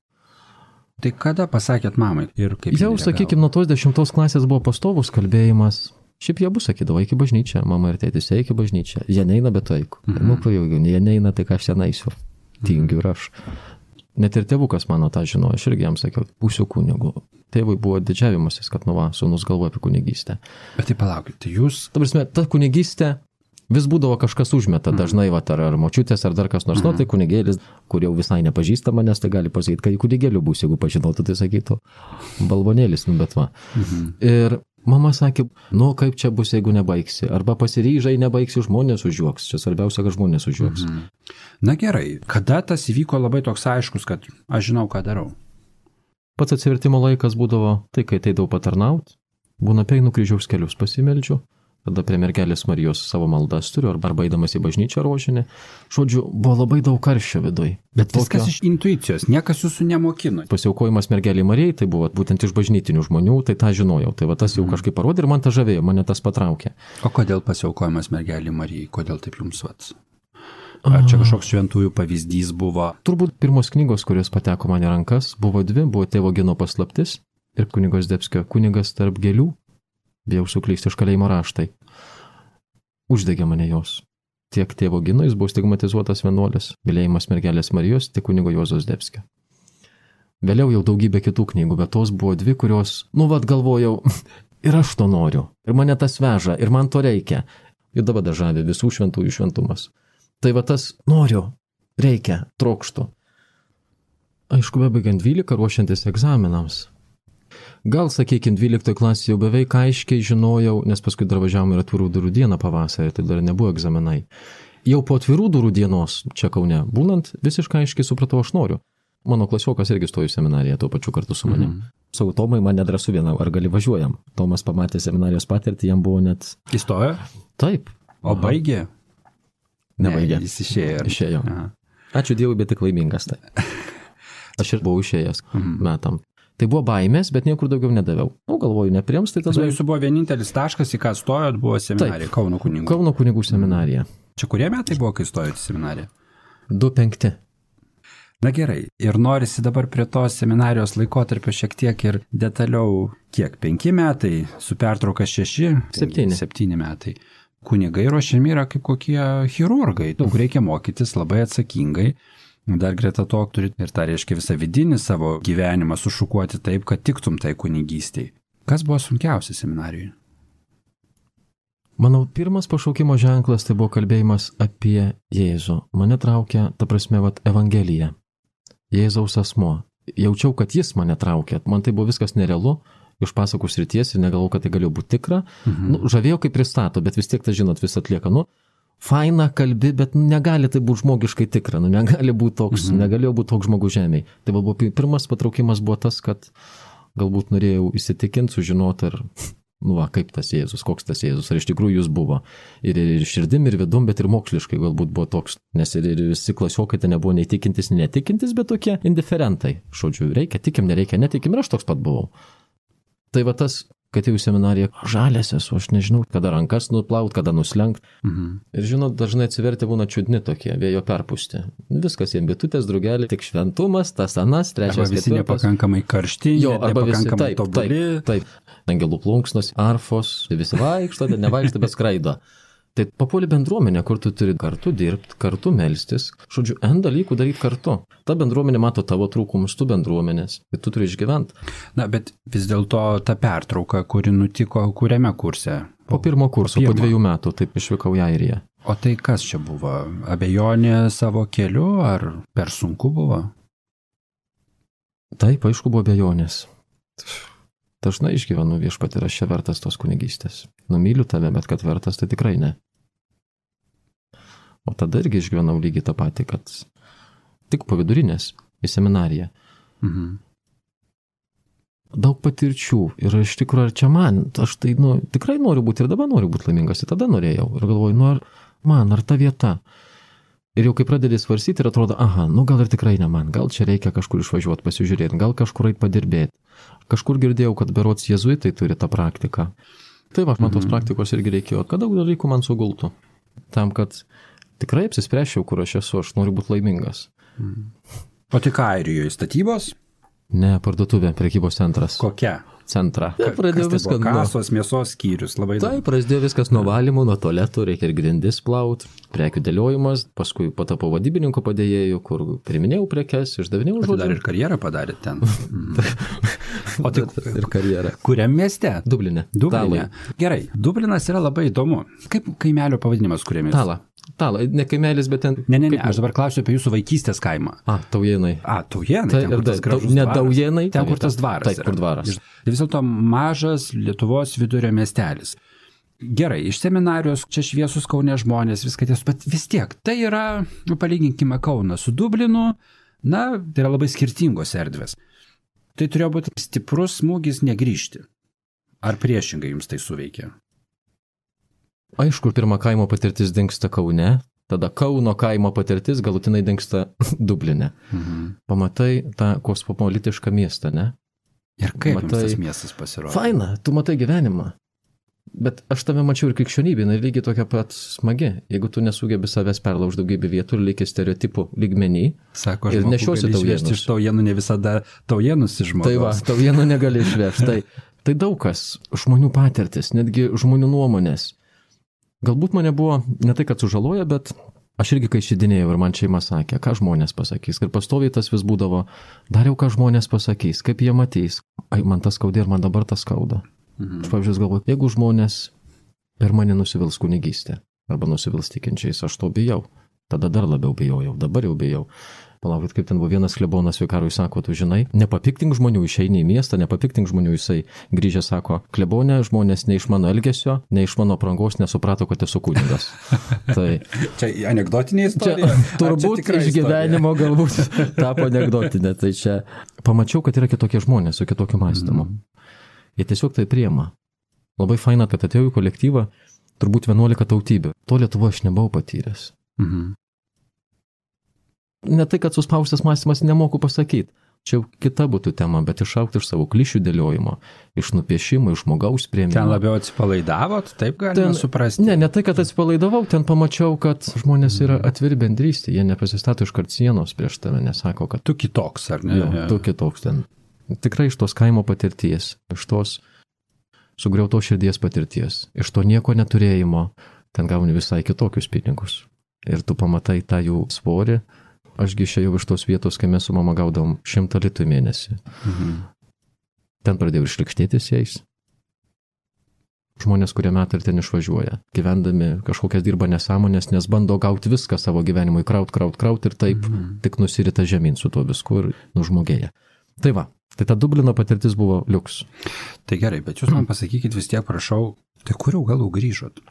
Tai kada pasakėt mamai ir kaip? Jau, sakykime, nuo tos 10 klasės buvo pastovus kalbėjimas. Šiaip jie bus sakydavo, eik į bažnyčią, mama ir tėtis, eik į bažnyčią. Jie neina, bet eik. Jie neina, tai ką aš ten eisiu. Tingiu ir aš. Net ir tėvukas mano tą žinojo, aš irgi jam sakiau, būsiu kunigu. Tėvui buvo didžiavimasis, kad sūnus galvoja apie kunigystę. Bet tai palaukite, jūs... Ta kunigystė vis būdavo kažkas užmeta, dažnai ar močiutės, ar dar kas nors, tai kunigėlis, kur jau visai nepažįsta manęs, tai gali pasakyti, kai kunigėliu bus, jeigu pažinotų, tai sakytų, balvonėlis, bet va. Ir mama sakė, kaip čia bus, jeigu nebaigsi, arba pasiryžai, nebaigsi, žmonės užjuoks, čia svarbiausia, kad žmonės užjuoks. Na gerai, kada tas įvyko labai toks aiškus, kad aš žinau, ką darau? Pats atsivertimo laikas būdavo, tai kai ateidavau patarnaut, būna peinu kryžiaus kelius pasimeldžiu, tada prie mergelės Marijos savo maldas turiu, arba eidamas į bažnyčią rožinę. Žodžiu, buvo labai daug karščio viduj. Bet viskas iš intuicijos, niekas jūsų nemokino. Pasiaukojimas mergelei Marijai, tai buvo būtent iš bažnytinių žmonių, tai tą žinojau. Tai va tas jau kažkaip parodė ir man tą žavėjo, mane tas patraukė. O kodėl pasiaukojimas mergelei Marijai? Kodėl taip jums vats? Ar čia kažkoks šventųjų pavyzdys buvo? Turbūt pirmos knygos, kurios pateko man į rankas, buvo dvi, buvo Tėvo Gino paslaptis ir kunigo Zdebskio Kunigas tarp gėlių, bijau suklysti iš kalėjimo raštai. Uždegė mane jos. Tiek Tėvo Gino, jis buvo stigmatizuotas vienuolis, mylėjimas mergelės Marijos, tiek kunigo Juozo Zdebskio. Vėliau jau daugybė kitų knygų, bet tos buvo dvi, kurios, galvojau, ir aš to noriu, ir mane tas veža, ir man to reikia. Ir dabar dažavė visų šventųjų šventumas. Tai va tas noriu, reikia, trokštų. Aišku, bebaigiant 12, ruošiantis egzaminams. Gal, sakykime, 12 klasėje jau beveik aiškiai žinojau, nes paskui dar važiavom ir atvirų durų dieną pavasarį, tai dar nebuvo egzaminai. Jau po atvirų durų dienos, čia Kaune, būnant, visiškai aiškiai supratau, aš noriu. Mano klasiokas irgi stojo į seminariją tuo pačiu kartu su manim. Sakau, Tomai, man nedrąsu vieną, ar gali važiuojam? Tomas pamatė seminarijos patirtį, jam buvo net... Įstojo? Taip. O baigė? Nebaigė. Jis išėjo. Išėjo. Ačiū Dievui, bet tik laimingas tai. Aš ir buvau išėjęs metam. Tai buvo baimės, bet niekur daugiau nedaviau. Galvoju, nepriims, tai tada... Jūsų buvo vienintelis taškas, į ką stojot, buvo seminarija, Kauno kunigų. Kauno kunigų seminarija. Čia kurie metai buvo, kai stojot į seminariją? 2005. Na gerai, ir norisi dabar prie tos seminarijos laikotarpio šiek tiek ir detaliau, kiek 5 metai, su pertrauka 6, 7 metai. Kunigai ruošiami yra kaip kokie chirurgai, daug reikia mokytis labai atsakingai. Dar greta to turit ir tą reiškia visą vidinį savo gyvenimą sušukuoti taip, kad tiktum tai kunigystei. Kas buvo sunkiausia seminarijoje? Manau, pirmas pašaukimo ženklas tai buvo kalbėjimas apie Jėzų. Mane traukia, ta prasme, Evangelija. Jėzaus asmuo. Jaučiau, kad jis mane traukė. Man tai buvo viskas nerealu, iš pasakų srities ir negalvojau, kad tai galėjo būti tikra. Žavėjau, kaip pristato, bet vis tiek, tai žinot, vis atlieka. Faina kalbi, bet negali tai būti žmogiškai tikra. Negali būti toks, negalėjo būti toks žmogus žemėje. Tai buvo pirmas patraukimas buvo tas, kad galbūt norėjau įsitikinti, sužinoti, ar Nu, va, kaip tas Jėzus, koks tas Jėzus, ar iš tikrųjų jis buvo. Ir širdim, ir vidum, bet ir moksliškai galbūt buvo toks, nes ir visi klasiokai ten nebuvo nei tikintis, nei netikintis, bet tokie indiferentai. Žodžiu, reikia, tikim, nereikia, netikim, ir aš toks pat buvau. Tai va tas, kad jau seminarija žalės esu, aš nežinau, kada rankas nuplaut, kada nuslenkt. Ir žinot, dažnai atsiverti būna čiudni tokie, vėjo perpūsti. Viskas jiem bitutės, draugelį, tik šventumas, tas anas, trečias, arba visi nepakankamai karšti, arba visi tobuli. Taip. Angelų plunksnos, arfos, visi vaikšto, nevaikšto, bet skraido. Tai papuoli bendruomenė, kur tu turi kartu dirbti, kartu melstis, žodžiu, N dalykų daryti kartu. Ta bendruomenė mato tavo trūkumus, tu bendruomenės, ir tu turi išgyventi. Na, bet vis dėlto ta pertrauka, kuri nutiko kuriame kurse? Po pirmo kurso, po 2 metų, taip išvykau į Airiją. O tai kas čia buvo? Abejonė savo keliu, ar per sunku buvo? Taip, aišku, buvo abejonės. Dažnai išgyvenu viešpatį, ir aš čia vertas tos kunigystės. Myliu tave, bet kad vertas, tai tikrai ne. O tada irgi išgyvenau lygiai tą patį, kad tik po vidurinės į seminariją. Daug patirčių ir iš tikrųjų, ar čia man, aš tai tikrai noriu būti ir dabar noriu būti laimingas, ir tada norėjau. Ir galvoju, ar ta vieta. Ir jau kai pradedi svarstyti ir atrodo, gal ir tikrai ne man, gal čia reikia kažkur išvažiuoti, pasižiūrėti, gal kažkur eit padirbėti. Kažkur girdėjau, kad berods jėzuitai turi tą praktiką. Tai va, man tos praktikos irgi reikėjo, kad daug dalykų man sugultų. Tam, kad tikrai apsispręsčiau, kur aš esu, aš noriu būti laimingas. O tik Airijoje statybos? Ne, parduotuvė, prekybos centras. Kokia? Centrą. Pradėjau viską nuo kasos, mėsos skyrius, labai daug. Taip, prasidėjo viskas nuo valymų, nuo tualetų, reikia ir grindis plaut, prekių dėliojimas, paskui patapau vadybininko padėjėjų, kur priminėjau prekes, išdavinėjau žodžiu. Dar ir karjerą padarėt ten. O tik ir karjerą. Kuriam mieste? Dubline. Gerai, Dublinas yra labai įdomu. Kaip kaimelio pavadinimas kuriam mieste? Tala, ne kaimelis, bet ten... Ne, aš dabar klausiu apie jūsų vaikystės kaimą. Taujienai. Taujienai, ten kur tas gražus dvaras. Ne Taujienai. Ten kur tas dvaras. Taip, kur dvaras. Vis dėlto mažas Lietuvos vidurio miestelis. Gerai, iš seminarijos, čia šviesus Kaune žmonės, viską tiesų, bet vis tiek, tai yra, palyginkime Kauną su Dublinu, tai yra labai skirtingos erdvės. Tai turėjo būti stiprus smūgis negrįžti. Ar priešingai jums tai suveikė? Aišku, pirma kaimo patirtis dingsta Kaune, tada Kauno kaimo patirtis galutinai dingsta Dubline. Pamatai tą kosmopolitišką miestą, ne? Ir kaip jums tas miestas pasirodė? Faina, tu matai gyvenimą. Bet aš tame mačiau ir krikščionybė, lygiai tokia pat smagi. Jeigu tu nesugebi savęs perlaužti daugybę vietų ir lieki stereotipų lygmenį, sako, ir nešiosi taujienus. Iš taujienų ne visada taujienus iš žmogaus. Tai va, taujienų negali išvežti. Tai daug kas, žmonių patirtis, netgi žmonių nuomonės. Galbūt mane buvo ne tai, kad sužaloja, bet aš irgi kai šidinėjau ir man šeima sakė, ką žmonės pasakys. Ir pastoviai tas vis būdavo, dariau, ką žmonės pasakys, kaip jie matys. Man tas skaudė ir man dabar tas skauda. Aš pavyzdžiui galvoju, jeigu žmonės per mane nusivils kunigystę arba nusivils tikinčiais, aš to bijau. Tada dar labiau bijojau, dabar jau bijau. Palaukit, kaip ten buvo vienas klebonas vikarui, sako, tu žinai, nepapiktink žmonių, išeini į miestą, nepapiktink žmonių, jisai grįžę sako, klebonė, žmonės ne iš mano elgesio, ne iš mano aprangos nesuprato, kad esu kunigas. Tai čia anekdotinė istorija? Turbūt iš gyvenimo galbūt tapo anekdotinė. Tai čia pamačiau, kad yra kitokie žmonės su kitokiu mąstymu. Jie tiesiog tai priema. Labai faina, kad atėjau į kolektyvą, turbūt 11 tautybių. To Lietuvoje aš nebuvau patyręs. Ne tai, kad suspaustas mąstymas nemoku pasakyti. Čia jau kita būtų tema, bet išaukti iš savo klišių dėliojimo, iš nupiešimo, iš žmogaus priėmimo. Ten labiau atsipalaidavot, taip galima suprasti? Ne tai, kad atsipalaidavau, ten pamačiau, kad žmonės yra atviri bendrystė, jie nepasistato iškart sienos prieš tave, nesako, kad tu kitoks, ar ne? Jo, tu kitoks ten. Tikrai iš tos kaimo patirties, iš tos sugriautos širdies patirties, iš to nieko neturėjimo, ten gauni visai kitokius pinigus. Ir tu pamatai tą jų svorį. Ašgi išėjau iš tos vietos, kai mes su mama gaudom 100 litų į mėnesį. Ten pradėjau išlikštėtis jais. Žmonės, kurie metai ir ten išvažiuoja, gyvendami kažkokias dirba nesąmonės, nes bando gauti viską savo gyvenimui, kraut ir taip tik nusirita žemyn su tuo visku ir nužmogėja. Tai va, tai ta Dublino patirtis buvo liuks. Tai gerai, bet jūs man pasakykit vis tiek, prašau, tai kur jau galų grįžot?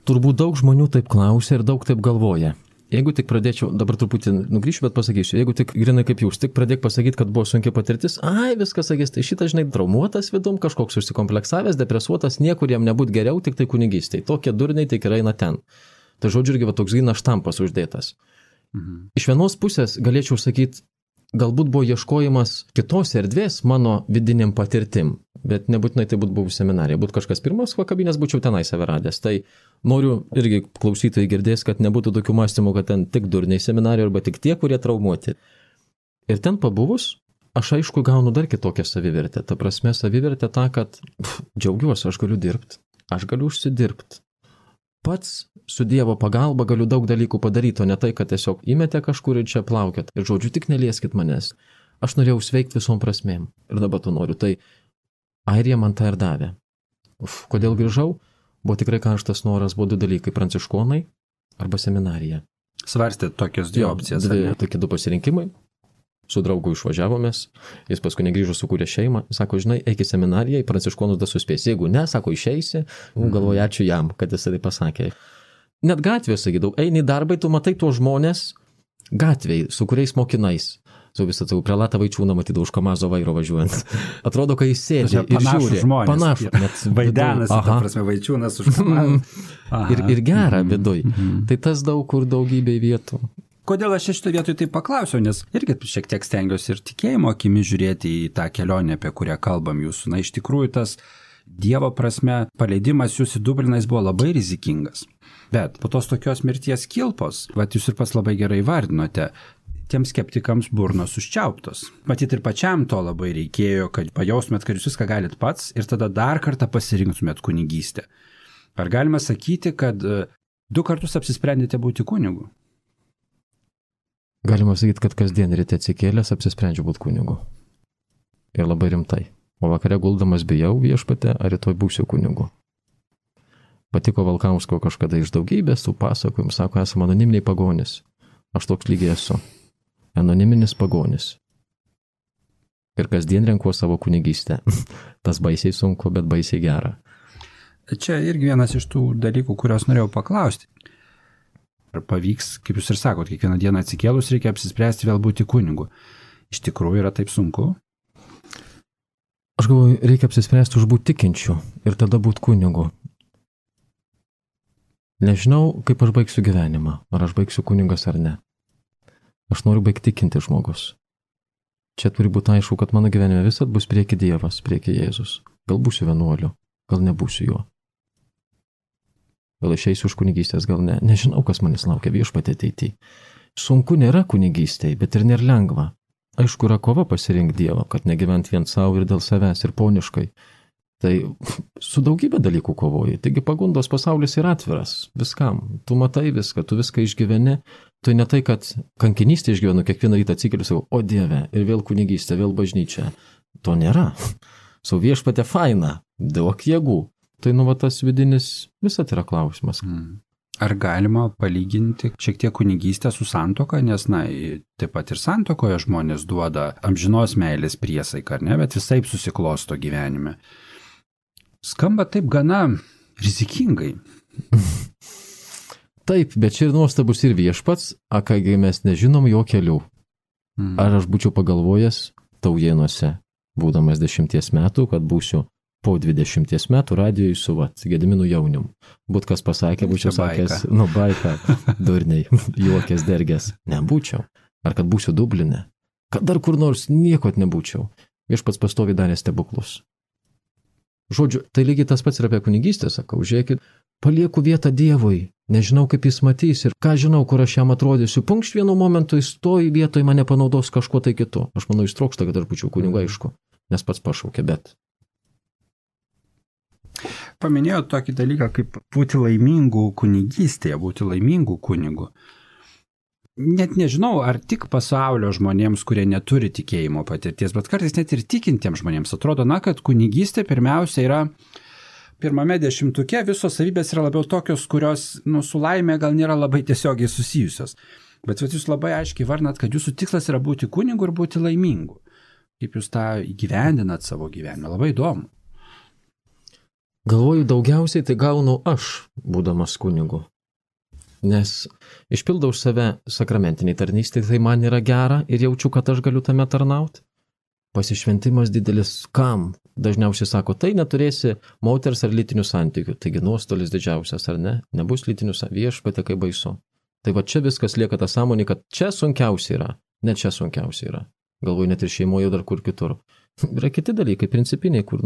Turbūt daug žmonių taip klausia ir daug taip galvoja. jeigu tik pradėčiau, dabar truputį nugrįšiu, bet pasakysiu, jeigu tik grinai kaip jūs, tik pradėk pasakyti, kad buvo sunki patirtis, viskas sakys, tai šitą, žinai, traumuotas vidum, kažkoks užsikompleksavęs, depresuotas, niekur jam nebūt geriau, tik tai kunigystėj. Tokie durniai tik ir eina ten. Tai žodžiu, irgi va toks grynas štampas uždėtas. Iš vienos pusės galėčiau sakyti, galbūt buvo ieškojimas kitos erdvės mano vidiniam patirtim, bet nebūtinai tai būtų buvus seminarija. Būt kažkas pirmas kabinės, būčiau tenai save radęs. Tai noriu irgi klausytojai girdės, kad nebūtų tokių mąstymų, kad ten tik durniai seminarijoje arba tik tie, kurie traumuoti. Ir ten pabuvus, aš aišku gaunu dar kitokią savivertę. Ta prasme, savivertę tą, kad džiaugiuosi, aš galiu dirbti, aš galiu užsidirbti. Pats su Dievo pagalba galiu daug dalykų padaryti, o ne tai, kad tiesiog įmetė kažkur ir čia plaukėt. Ir žodžiu, tik nelieskit manęs. Aš norėjau sveikti visom prasmėm. Ir dabar to noriu. Tai Airija man tą ir davė. Kodėl grįžau? Buvo tikrai karštas noras, buvo 2 dalykai - pranciškonai arba seminarija. Svarstėt tokias 2 opcijas. Tokie 2 pasirinkimai. Su draugu išvažiavomės, jis paskui negrįžo, sukūrė šeimą, sako, žinai, eik į seminariją, į pranciškonus dar suspės. Jeigu ne, sako, išeisi, galvoju, ačiū jam, kad jis tai pasakė. Net gatvėje, sakydavau, eini į darbą, tu matai tuos žmonės gatvėje, su kuriais mokinais. Su visą tai prelatą Vaičiūną matydavau už Kamazo vairo važiuojant. Atrodo, kai jis sėdi ir žiūri. Panašu žmonės. Vaidenas, ta prasme, Vaičiūnas už Kamazo. Ir gera viduj. Tai tas daug kur daugybė vietų. Kodėl aš šitoje vietoje tai paklausiau, nes irgi šiek tiek stengiuosi ir tikėjimo akimi žiūrėti į tą kelionę, apie kurią kalbam jūsų. Na, iš tikrųjų, tas Dievo prasme paleidimas jūs į Dubliną jis buvo labai rizikingas. Bet po tos tokios mirties kilpos, jūs ir pats labai gerai vardinote, tiems skeptikams burnos užčiauptos. Matyt, ir pačiam to labai reikėjo, kad pajaustumėt, kad jūs viską galit pats ir tada dar kartą pasirinktumėt kunigystę. Ar galima sakyti, kad 2 kartus apsisprendėte būti kunigu? Galima sakyti, kad kasdien ryte atsikėlęs apsisprendžiu būti kunigu. Ir labai rimtai. O vakare guldamas bijau Viešpatie, ar rytoj būsiu kunigu. Patiko Valkausko kažkada iš daugybės tų pasakojimų, sako, esame anoniminiai pagonis. Aš toks lygiai esu. Anoniminis pagonis. Ir kasdien renkuo savo kunigystę. Tas baisiai sunku, bet baisiai gera. Čia irgi vienas iš tų dalykų, kuriuos norėjau paklausti. Ar pavyks, kaip jūs ir sakot, kiekvieną dieną atsikėlus reikia apsispręsti vėl būti kunigu. Iš tikrųjų yra taip sunku? Aš galvoju, reikia apsispręsti už būti tikinčiu ir tada būti kunigu. Nežinau, kaip aš baigsiu gyvenimą, ar aš baigsiu kunigas ar ne. Aš noriu baigti tikinti žmogus. Čia turi būti aišku, kad mano gyvenime visat bus prieki Dievas, prieki Jėzus. Gal būsiu vienuoliu, gal nebūsiu juo. Gal išeisiu už kunigystės, gal ne. Nežinau, kas manęs laukia Viešpatie ateityje. Sunku nėra kunigystėje, bet ir nėra lengva. Aišku, yra kova pasirinkti Dievą, kad negyvent vien savo ir dėl savęs ir poniškai. Tai su daugybė dalykų kovoji. Taigi pagundos pasaulis yra atviras viskam. Tu matai viską, tu viską išgyveni. Tai ne tai, kad kankinystė išgyvenu, kiekvieną rytą atsikeliu savo, o Dieve, ir vėl kunigystė, vėl bažnyčia. To nėra. Sau Viešpatie faina, duok jėgų. Tai tas vidinis visat yra klausimas. Ar galima palyginti šiek tiek kunigystę su santuoka, nes, taip pat ir santuokoje žmonės duoda amžinos meilės priesaiką, ar ne, bet visaip susiklosto gyvenime. Skamba taip gana rizikingai. Taip, bet čia ir nuostabus ir Viešpats, kągi mes nežinom jo kelių. Ar aš būčiau pagalvojęs Taujėnuose, būdamas 10 metų, kad būsiu po 20 metų radijoje su Gediminu Jaunium. Būt kas pasakė, būčiau sakęs, baika, durniai, juokės, dergės. Nebūčiau. Ar kad būsiu Dubline. Kad dar kur nors nieko nebūčiau. Viešpats pastoviai darė stebuklus. Žodžiu, tai lygiai tas pats ir apie kunigystę, sakau, žiūrėkit, palieku vietą Dievui, nežinau kaip jis matys ir ką žinau, kur aš jam atrodysiu. Punkšt vienu momentu jis toj vietoj mane panaudos kažkuo tai kitu. Aš manau, jis trokšta, kad aš būčiau kunigu, aišku, nes pats pašaukė, bet. Paminėjau tokį dalyką, kaip būti laimingų kunigystėje, būti laimingų kunigų. Net nežinau, ar tik pasaulio žmonėms, kurie neturi tikėjimo patirties, bet kartais net ir tikintiems žmonėms atrodo, kad kunigystė pirmiausia yra pirmame 10-uke, visos savybės yra labiau tokios, kurios su laimė gal nėra labai tiesiogiai susijusios. Bet jūs labai aiškiai vardinat, kad jūsų tikslas yra būti kunigu ir būti laimingu. Kaip jūs tą įgyvendinat savo gyvenime, labai įdomu. Galvoju, daugiausiai tai gaunu aš, būdamas kunigu. Nes išpildau už save sakramentiniai tarnystė, tai man yra gera ir jaučiu, kad aš galiu tame tarnauti. Pasišventimas didelis kam? Dažniausiai sako, tai neturėsi moters ar lytinių santykių. Taigi nuostolis didžiausias, ar ne? Nebus lytinių santykių, viešpatie, kaip baisu. Tai va čia viskas lieka ta sąmonė, kad čia sunkiausia yra, ne čia sunkiausia yra. Galvoju, net ir šeimoje dar kur kitur. Yra kiti dalykai, principiniai, kur,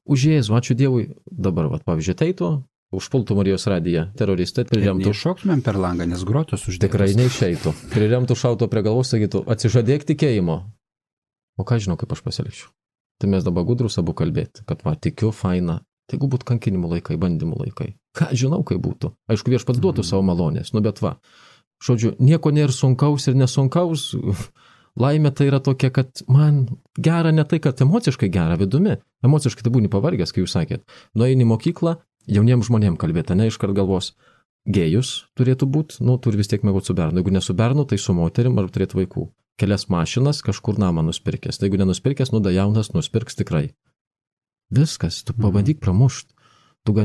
už Jėzų, ačiū Dievui, dabar, pavyzdžiui, teitų, užpultų Marijos radiją, teroristai, priremtų. Neiššoktumėm per langą, nes grotos uždėtos. Tikrai neišeitų. Priremtų šauto prie galvos, sakytų, atsižadėk tikėjimo. O ką žinau, kaip aš pasilikčiau. Tai mes dabar gudrus abu kalbėti, kad tikiu, faina. Tai jeigu būtų kankinimų laikai, bandymų laikai. Ką žinau, kaip būtų. Aišku, Viešpats duotų savo malonės, bet žodžiu, nieko nėra sunkaus ir nesunkaus. Laimė tai yra tokia, kad man gera ne tai, kad emociškai gera vidumi. Emociškai tai būni pavargęs, kai jūs sakėt. Nueini į mokyklą, jauniems žmonėms kalbėti, ne iškart galvos. Gėjus turėtų būti, turi vis tiek mėgoti su bernu. Jeigu ne su bernu, tai su moterim ar turėtų vaikų. Kelias mašinas, kažkur namą nuspirkęs. Tai jeigu nenuspirkęs, da jaunas nuspirks tikrai. Viskas, tu pabandyk pramušt. Tu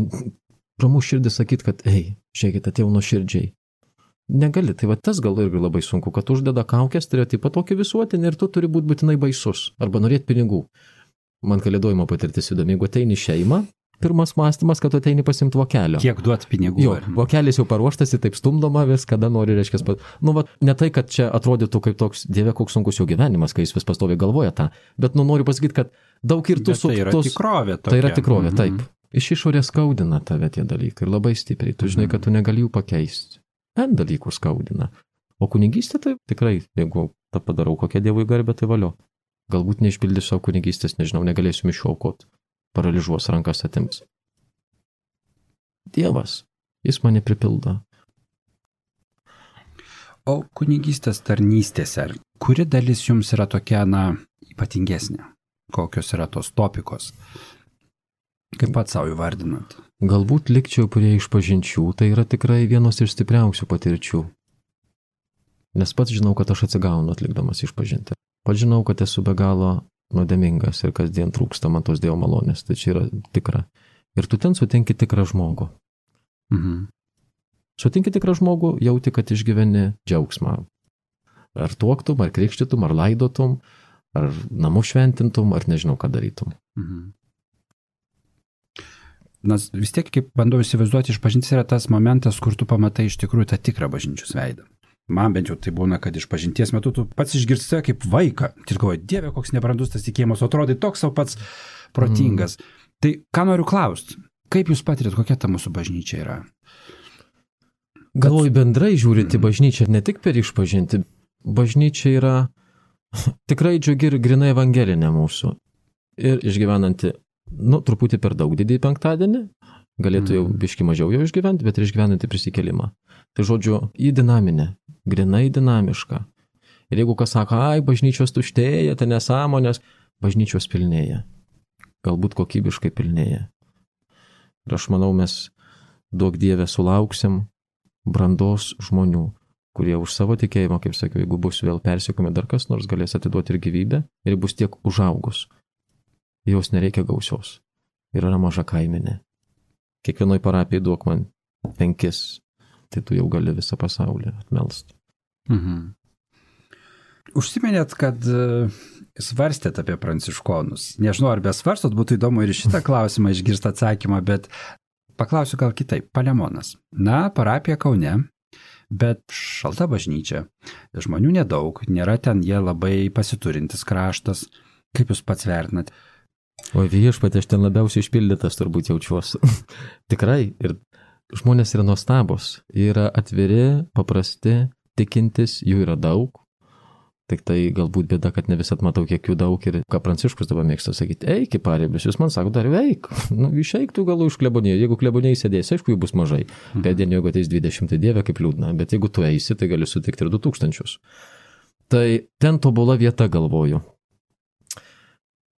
pramuš širdį sakyt, kad, žiūrėkit, atėjau nuoširdžiai. Negali, tai tas gal irgi labai sunku, kad uždeda kaukės stereotipą tokį visuotinį ir tu turi būti būtinai baisus arba norėti pinigų. Man kalėdojimo patirtis įdomi, jeigu ateini šeimą, pirmas mąstymas, kad tu ateini pasimti vokelio. Kiek duot pinigų? Jo, vokelis jau paruoštas, taip stumdoma vis, kada nori, reiškia. Ne tai, kad čia atrodytų kaip toks, Dieve, koks sunkus jo gyvenimas, kai jis vis pastoviai galvoja tą, bet noriu pasakyti, kad daug ir tu su... Tai yra tikrovė. Tai yra tikrovė, taip. Iš išorės skaudina tave tie dalykai ir labai stipriai. Tu žinai, kad tu negali jų pakeisti. N dalykų skaudina. O kunigystė tai tikrai, jeigu tą padarau kokią Dievui garbę, tai valio. Galbūt neišpildysiu savo kunigystės, nežinau, negalėsiu mišių aukoti. Paralyžuos rankas atims. Dievas, jis mane pripildo. O kunigystės tarnystėse, kuri dalis jums yra tokia, ypatingesnė? Kokios yra tos topikos? Kaip pat savo įvardinat? Galbūt likčiau prie išpažinčių, tai yra tikrai vienos iš stipriausių patirčių. Nes pats žinau, kad aš atsigaunu atlikdamas išpažinti. Pats žinau, kad esu be galo nuodėmingas ir kasdien trūksta man tos Dievo malonės. Tai čia yra tikra. Ir tu ten sutinki tikrą žmogų. Sutinki tikrą žmogų, jauti, kad išgyveni džiaugsmą. Ar tuoktum, ar krikštytum, ar laidotum, ar namų šventintum, ar nežinau, ką darytum. Nes vis tiek, kaip bandau įsivaizduoti, išpažintis yra tas momentas, kur tu pamatai iš tikrųjų tą tikrą bažnyčios veidą. Man bent jau tai būna, kad išpažinties metu tu pats išgirsti save kaip vaiką. Ir galvoji, Dieve, koks nebrandus tas tikėjimas, atrodai toks savo pats protingas. Tai ką noriu klausti, kaip jūs patirėt, kokia ta mūsų bažnyčia yra? Galvoju, bendrai žiūrint į bažnyčią, ne tik per išpažinti. Bažnyčia yra tikrai džiugi ir grinai evangelinė mūsų. Ir išgyvenanti, truputį per daug didįjį penktadienį, galėtų jau biški mažiau jau išgyventi, bet ir išgyvenanti prisikėlimą. Tai žodžiu, į dinaminę, grinai dinamišką. Ir jeigu kas sako, bažnyčios tuštėja, tai nesąmonės, bažnyčios pilnėja. Galbūt kokybiškai pilnėja. Ir aš manau, mes duok Dieve sulauksim brandos žmonių, kurie už savo tikėjimą, kaip sakiau, jeigu bus vėl persekiojami dar kas nors, galės atiduoti ir gyvybę ir bus tiek užaugus. Jos nereikia gausios. Ir yra maža kaiminė. Kiekvienoj parapijai duok man 5, tai tu jau gali visą pasaulį atmelst. Užsiminėt, kad svarstėt apie pranciškonus. Nežinau, ar besvarstot, būtų įdomu ir šitą klausimą išgirsti atsakymą, bet paklausiu gal kitaip. Palemonas. Parapija Kaune, bet šalta bažnyčia. Žmonių nedaug, nėra ten jie labai pasiturintis kraštas. Kaip jūs pats vertinat? O Viešpatie, aš ten labiausiai išpildytas turbūt jaučiuosi. Tikrai. Ir žmonės yra nuostabus. Jie yra atviri, paprasti, tikintis, jų yra daug. Tik tai galbūt bėda, kad ne visat matau, kiek jų daug. Ir ką Pranciškus dabar mėgsta sakyti, eik į pareigas, jūs man sako, dar eik. Išeik tu galų iš klebonėjų. Jeigu klebonėjai sėdės, aišku, jų bus mažai. Pėdien, jeigu ateis 20, tai Dieve, kaip liūdna. Bet jeigu tu eisi, tai gali sutikti ir 2000. Tai ten tobula vieta, galvoju.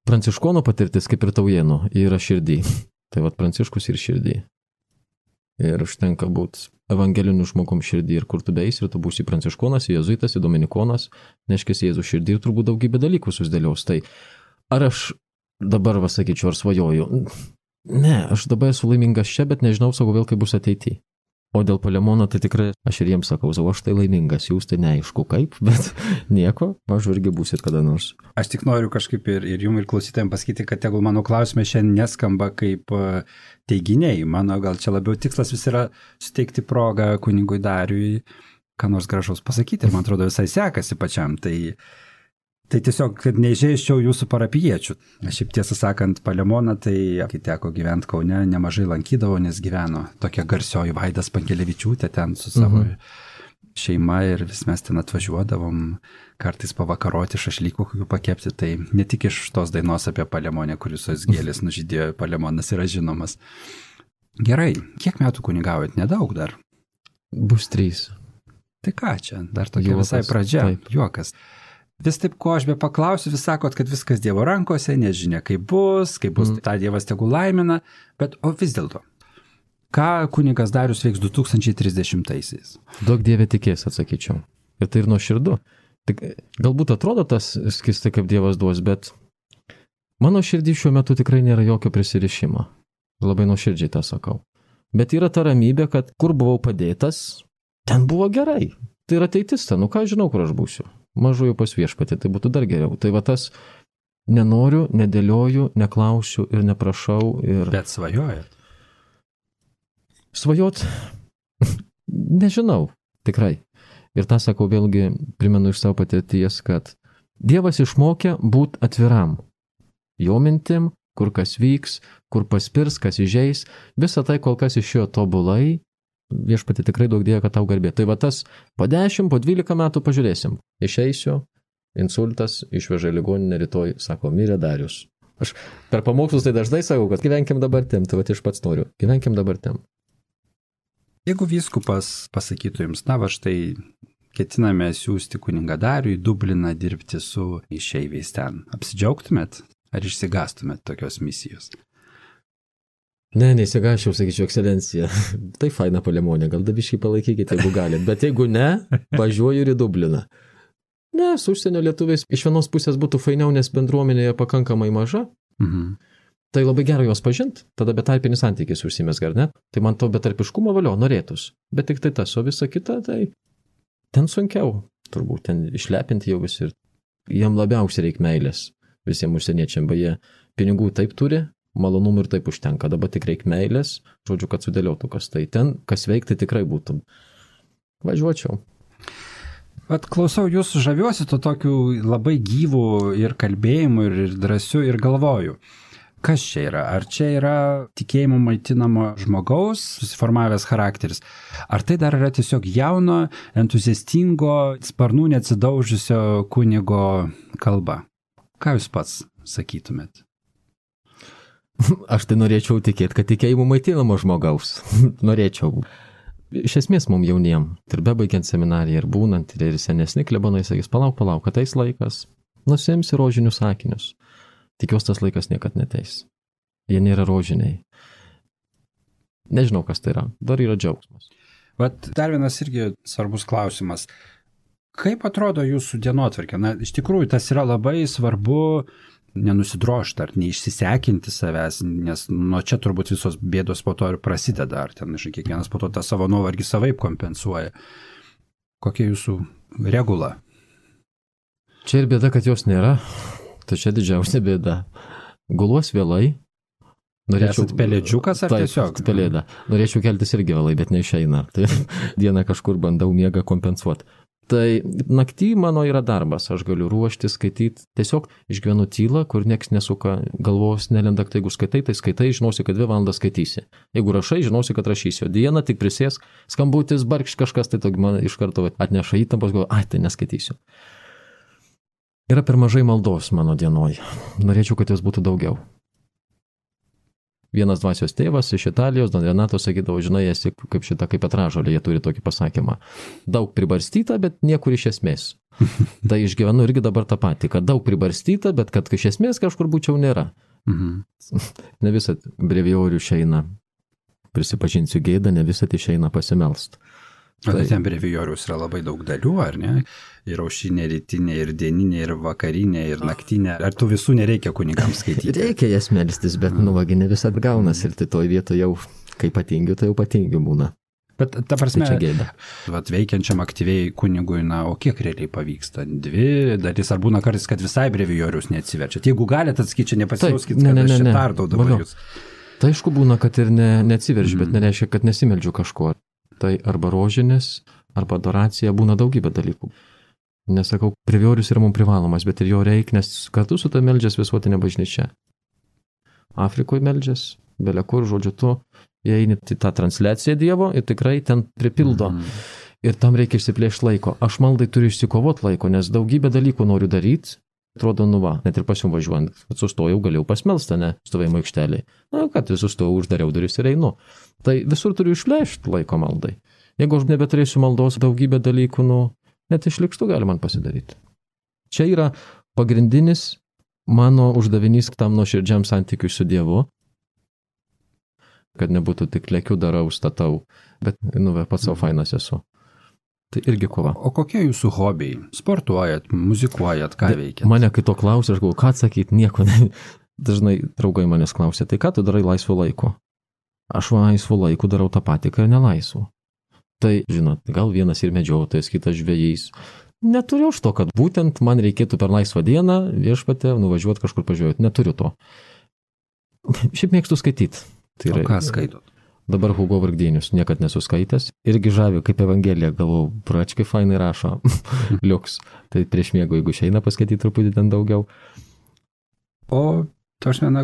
Pranciškonų patirtis, kaip ir taujienų, yra širdį. Tai Pranciškus ir širdį. Ir užtenka būti evangeliniu žmogum širdį ir kur tu beis, ir tu būsi pranciškonas, jėzuitas, dominikonas, neškis Jėzų širdį ir turbūt daugybę dalykų susidėliaus. Tai ar aš dabar sakyčiau, ar svajoju? Ne, aš dabar esu laimingas čia, bet nežinau savo vėl, kaip bus ateityje. O dėl Palemono, tai tikrai aš ir jiems sakau, aš tai laimingas, jūs tai neaišku kaip, bet nieko, mažu irgi būsit kada nors. Aš tik noriu kažkaip ir jums ir klausytojams pasakyti, kad tegul mano klausimai šiandien neskamba kaip teiginiai. Mano gal čia labiau tikslas vis yra suteikti progą kunigui Dariui, ką nors gražaus pasakyti. Ir man atrodo visai sekasi pačiam. Tai tiesiog, kad neižeiščiau jūsų parapijiečių. Aš šiaip tiesą sakant, Palemoną, tai kai teko gyventi Kaune, nemažai lankydavo, nes gyveno tokia garsioji Vaida Spankelevičiūtė ten su savo šeima ir vis mes ten atvažiuodavom, kartais pavakaroti šašlykų kokių pakepti. Tai ne tik iš tos dainos apie Palemonę, kuris visos gėlės nužydėjo, Palemonas yra žinomas. Gerai, kiek metų kunigaujat? Nedaug dar. Bus 3. Tai ką čia, dar tokia visai pradžia, juokas. Vis taip, ko aš be paklausiu, vis sakot, kad viskas Dievo rankose, nežinia, kaip bus, tą Dievas tegul laimina, bet o vis dėlto, ką kunigas Darius veiks 2030-aisiais? Daug Dieve tikės, atsakyčiau. Ir tai ir nuoširdu. Tik, galbūt atrodo tas skistai, kaip Dievas duos, bet mano širdį šiuo metu tikrai nėra jokio prisirišimo. Labai nuoširdžiai tą sakau. Bet yra ta ramybė, kad kur buvau padėtas, ten buvo gerai. Tai yra ateitis, nu ką žinau, kur aš būsiu. Mažoju pas viešpatį, tai būtų dar geriau. Tai va tas nenoriu, nedėlioju, neklausiu ir neprašau. Bet svajojat? Svajot? Nežinau, tikrai. Ir tą sakau vėlgi, primenu iš savo patirties, kad Dievas išmokė būti atviram. Jo mintim, kur kas vyks, kur paspirs, kas įžeis. Visą tai kol kas išėjo tobulai. Viešpatį tikrai daug dėjo, kad tau garbė. Tai va tas po 10, po 12 metų pažiūrėsim. Išeisiu, insultas, išveža į ligoninę, rytoj, sako, mirė Darius. Aš per pamokslus tai dažnai sakau, kad gyvenkim dabartim, tai va aš pats noriu, gyvenkim dabartim. Jeigu vyskupas pasakytų jums, na va štai ketiname siųsti kunigą Darių į Dubliną dirbti su išeiviais ten, apsidžiaugtumėt ar išsigastumėt tokios misijos? Ne, neįsigašiau, sakyčiau, ekscelencija. Tai faina Palemonė, gal dabiškai palaikykite, jeigu galit. Bet jeigu ne, važiuoju ir į Dubliną. Ne, su užsienio lietuviais iš vienos pusės būtų fainiau, nes bendruomenėje pakankamai maža. Tai labai gera juos pažint, tada betarpinis santykis užsimesga, ar ne? Tai man to betarpiškumo valio norėtus. Bet tik tai tas, o visa kita, tai ten sunkiau. Turbūt ten išlepinti jau visi. Jiem labiausiai reikia meilės visiems užsieniečiam. Beje, pinigų taip turi. Malonumų ir taip užtenka, dabar tik reikia meilės, žodžiu, kad sudėliotų kas tai ten, kas veikti tikrai būtų. Važiuočiau. Vat klausau jūsų, žaviuosi to tokiu labai gyvų ir kalbėjimu, ir drąsiu, ir galvoju. Kas čia yra? Ar čia yra tikėjimo maitinamo žmogaus susiformavęs charakteris? Ar tai dar yra tiesiog jauno, entuziastingo, sparnų neatsidaužusio kunigo kalba? Ką jūs pats sakytumėt? Aš tai norėčiau tikėti, kad tikėjimų maitinamo žmogaus. Norėčiau. Iš esmės mums jauniem, ir bebaigiant seminariją, ir būnant, ir senesni klebonai sakys, palauk, ateis laikas, nusimsi rožinius sakinius. Tikiuosi, tas laikas niekad neteis. Jie nėra rožiniai. Nežinau, kas tai yra. Dar yra džiaugsmas. Vat dar vienas irgi svarbus klausimas. Kaip atrodo jūsų dienotvarkė? Na, iš tikrųjų, tas yra labai svarbu nenusidrošti ar neišsisekinti savęs, nes nuo čia turbūt visos bėdos po to ir prasideda, ar ten, žinai, kiekvienas po to tą savo nuovargį savaip kompensuoja. Kokia jūsų regula? Čia ir bėda, kad jos nėra, tai čia didžiausia bėda. Guluos vėlai. Esat pelėdžiukas ar tiesiog? Taip, pelėda. Norėčiau keltis irgi vėlai, bet neišeina. Tai dieną kažkur bandau miegą kompensuoti. Tai naktį mano yra darbas, aš galiu ruošti, skaityti, tiesiog išgyvenu tylą, kur nieks nesuka galvos, nelenda, tai jeigu skaitai, tai skaitai, žinosi, kad 2 valandas skaitysi. Jeigu rašai, žinosi, kad rašysi, o dieną tik prisėsk, skambutis, barkš kažkas, tai man iš karto atneša įtampos, galvoju, tai neskaitysiu. Yra per mažai maldos mano dienoj, norėčiau, kad jos būtų daugiau. Vienas dvasios tėvas iš Italijos, Don Renato, sakydavo, žinai, esi kaip šita, kaip Petražolė, jie turi tokį pasakymą. Daug pribarstyta, bet niekur iš esmės. Tai išgyvenu irgi dabar tą patį, kad daug pribarstyta, bet kad iš esmės kažkur būčiau nėra. Ne visat brevijorių išeina, prisipažinsiu gėdą, ne visat išeina pasimelst. Tai ten brevijorius yra labai daug dalių, ar ne? Ir aušinė, rytinė, ir dieninė, ir vakarinė, ir naktinė. Ar tų visų nereikia kunigams skaityti? Reikia jas melstis, bet nuvagi ne visat gaunas ir tai toj vietoje jau, kai patingiu, tai jau patingiu būna. Bet ta prasme, Tai čia gėda. veikiančiam aktyviai kunigui, o kiek realiai pavyksta? 2 dalis, ar būna kartais, kad visai brevijorius neatsiverčia? Jeigu galite atsakyti, čia nepasijauskit, kad aš čia tardau dabar jūs. Tai aišku būna, kad ir neatsiverčiu, bet nereiškia, kad nesimeldžiu kažko. Tai arba rožinis, arba adoracija, būna daugybė dalykų. Nesakau, brevijorius yra mums privalomas, bet ir jo reikia, nes kartu su ta meldžias visuotinė bažnyčia. Afrikoje meldžias, belia kur, žodžiu, tu įeini į tą transliaciją Dievo ir tikrai ten pripildo. Ir tam reikia išsiplėšti laiko. Aš maldai turiu išsikovoti laiko, nes daugybę dalykų noriu daryti. Atrodo, net ir pas jums važiuojant. Sustojau, galėjau pasmelstą, ne, stovėjimo aikšteliai. Kad sustojau, uždariau duris ir einu. Tai visur turiu išplėšti laiko maldai. Jeigu aš nebeturėsiu maldos, daugybę dalykų, net išlikštų gali man pasidaryti. Čia yra pagrindinis mano uždavinys tam nuoširdžiam santykiui su Dievu. Kad nebūtų tik lėkiu darau, statau, bet, pats savo fainas esu. Tai irgi kova. O kokie jūsų hobiai? Sportuojat, muzikuojat, ką veikiat? Mane kai to klausia, aš galvoju, ką atsakyti, nieko. Dažnai draugai manęs klausia, tai ką tu darai laisvo laiko? Aš laisvo laiko darau tą patį, ką ir nelaisvo. Tai, žinot, gal vienas ir medžiotojas, kitas žvejys. Neturiu už to, kad būtent man reikėtų per laisvą dieną viešpatę nuvažiuoti kažkur pažiūrėti. Neturiu to. Šiaip mėgstu skaityti. Tai o ką skaitot? Dabar Hugo Vargdienius, niekad nesuskaitęs. Irgi žavi, kaip Evangelija, galvoju, pračkai fainai rašo. Liuks. Tai prieš miego, jeigu išeina paskaityti truputį ten daugiau. O,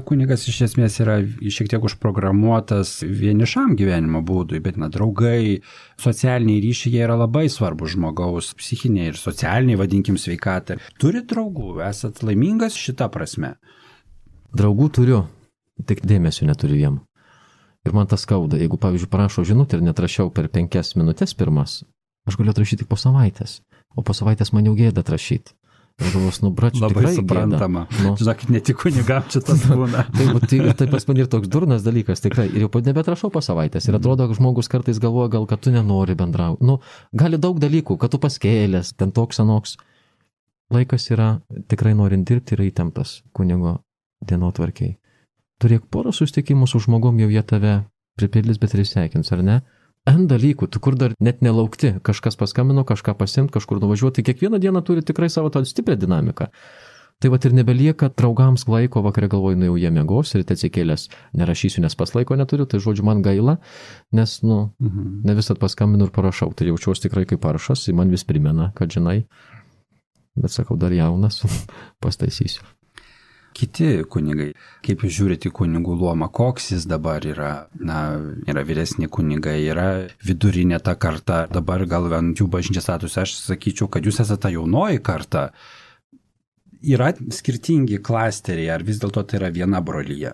kunigas iš esmės yra šiek tiek užprogramuotas vienišam gyvenimo būdui, bet draugai, socialiniai ryšiai yra labai svarbus žmogaus psichiniai ir socialiniai, vadinkim, sveikatai. Turit draugų? Esat laimingas šitą prasme? Draugų turiu, tik dėmesio neturiu jiem. Ir man tas skauda, jeigu, pavyzdžiui, parašo žinutę ir netrašiau per 5 minutės pirmas, aš galiu atrašyti tik po savaitės, o po savaitės man jau gėda atrašyti. Ir galvos, bračiu, labai suprantama. Žinokit, ne tik kunigam čia tas būna. Tai pas man ir toks durnas dalykas, tikrai. Ir jau nebetrašau po savaitės. Ir atrodo, kad žmogus kartais galvoja, gal kad tu nenori bendrauti. Gali daug dalykų, kad tu paskėlės, ten toks anoks. Laikas yra, tikrai norint dirbti, yra įtemptas kunigo dienotvarkiai. Turėk porą susitikimų su žmogum, jau jie tave pripildys, bet ir sveikins, ar ne? N dalykų, tu kur dar net nelaukti, kažkas paskambino, kažką pasimt, kažkur nuvažiuoti, kiekvieną dieną turi tikrai savo tą stiprią dinamiką. Tai ir nebelieka draugams laiko, vakarė galvoju, jau jie miegos ir atsikėlęs nerašysiu, nes pas laiko neturiu, tai žodžiu man gaila, nes, ne visat paskambinu ir parašau, tai jaučiuosi tikrai kaip paršas, man vis primena, kad žinai, bet sakau, dar jaunas, pastaisysiu. Kiti kunigai, kaip jūs žiūrite į kunigų luomą, koks jis dabar yra? Yra vyresni kunigai, yra vidurinė ta karta, dabar gal ant jų bažnyčios statusą, aš sakyčiau, kad jūs esate ta jaunoji karta. Yra skirtingi klasteriai, ar vis dėlto tai yra viena brolyje?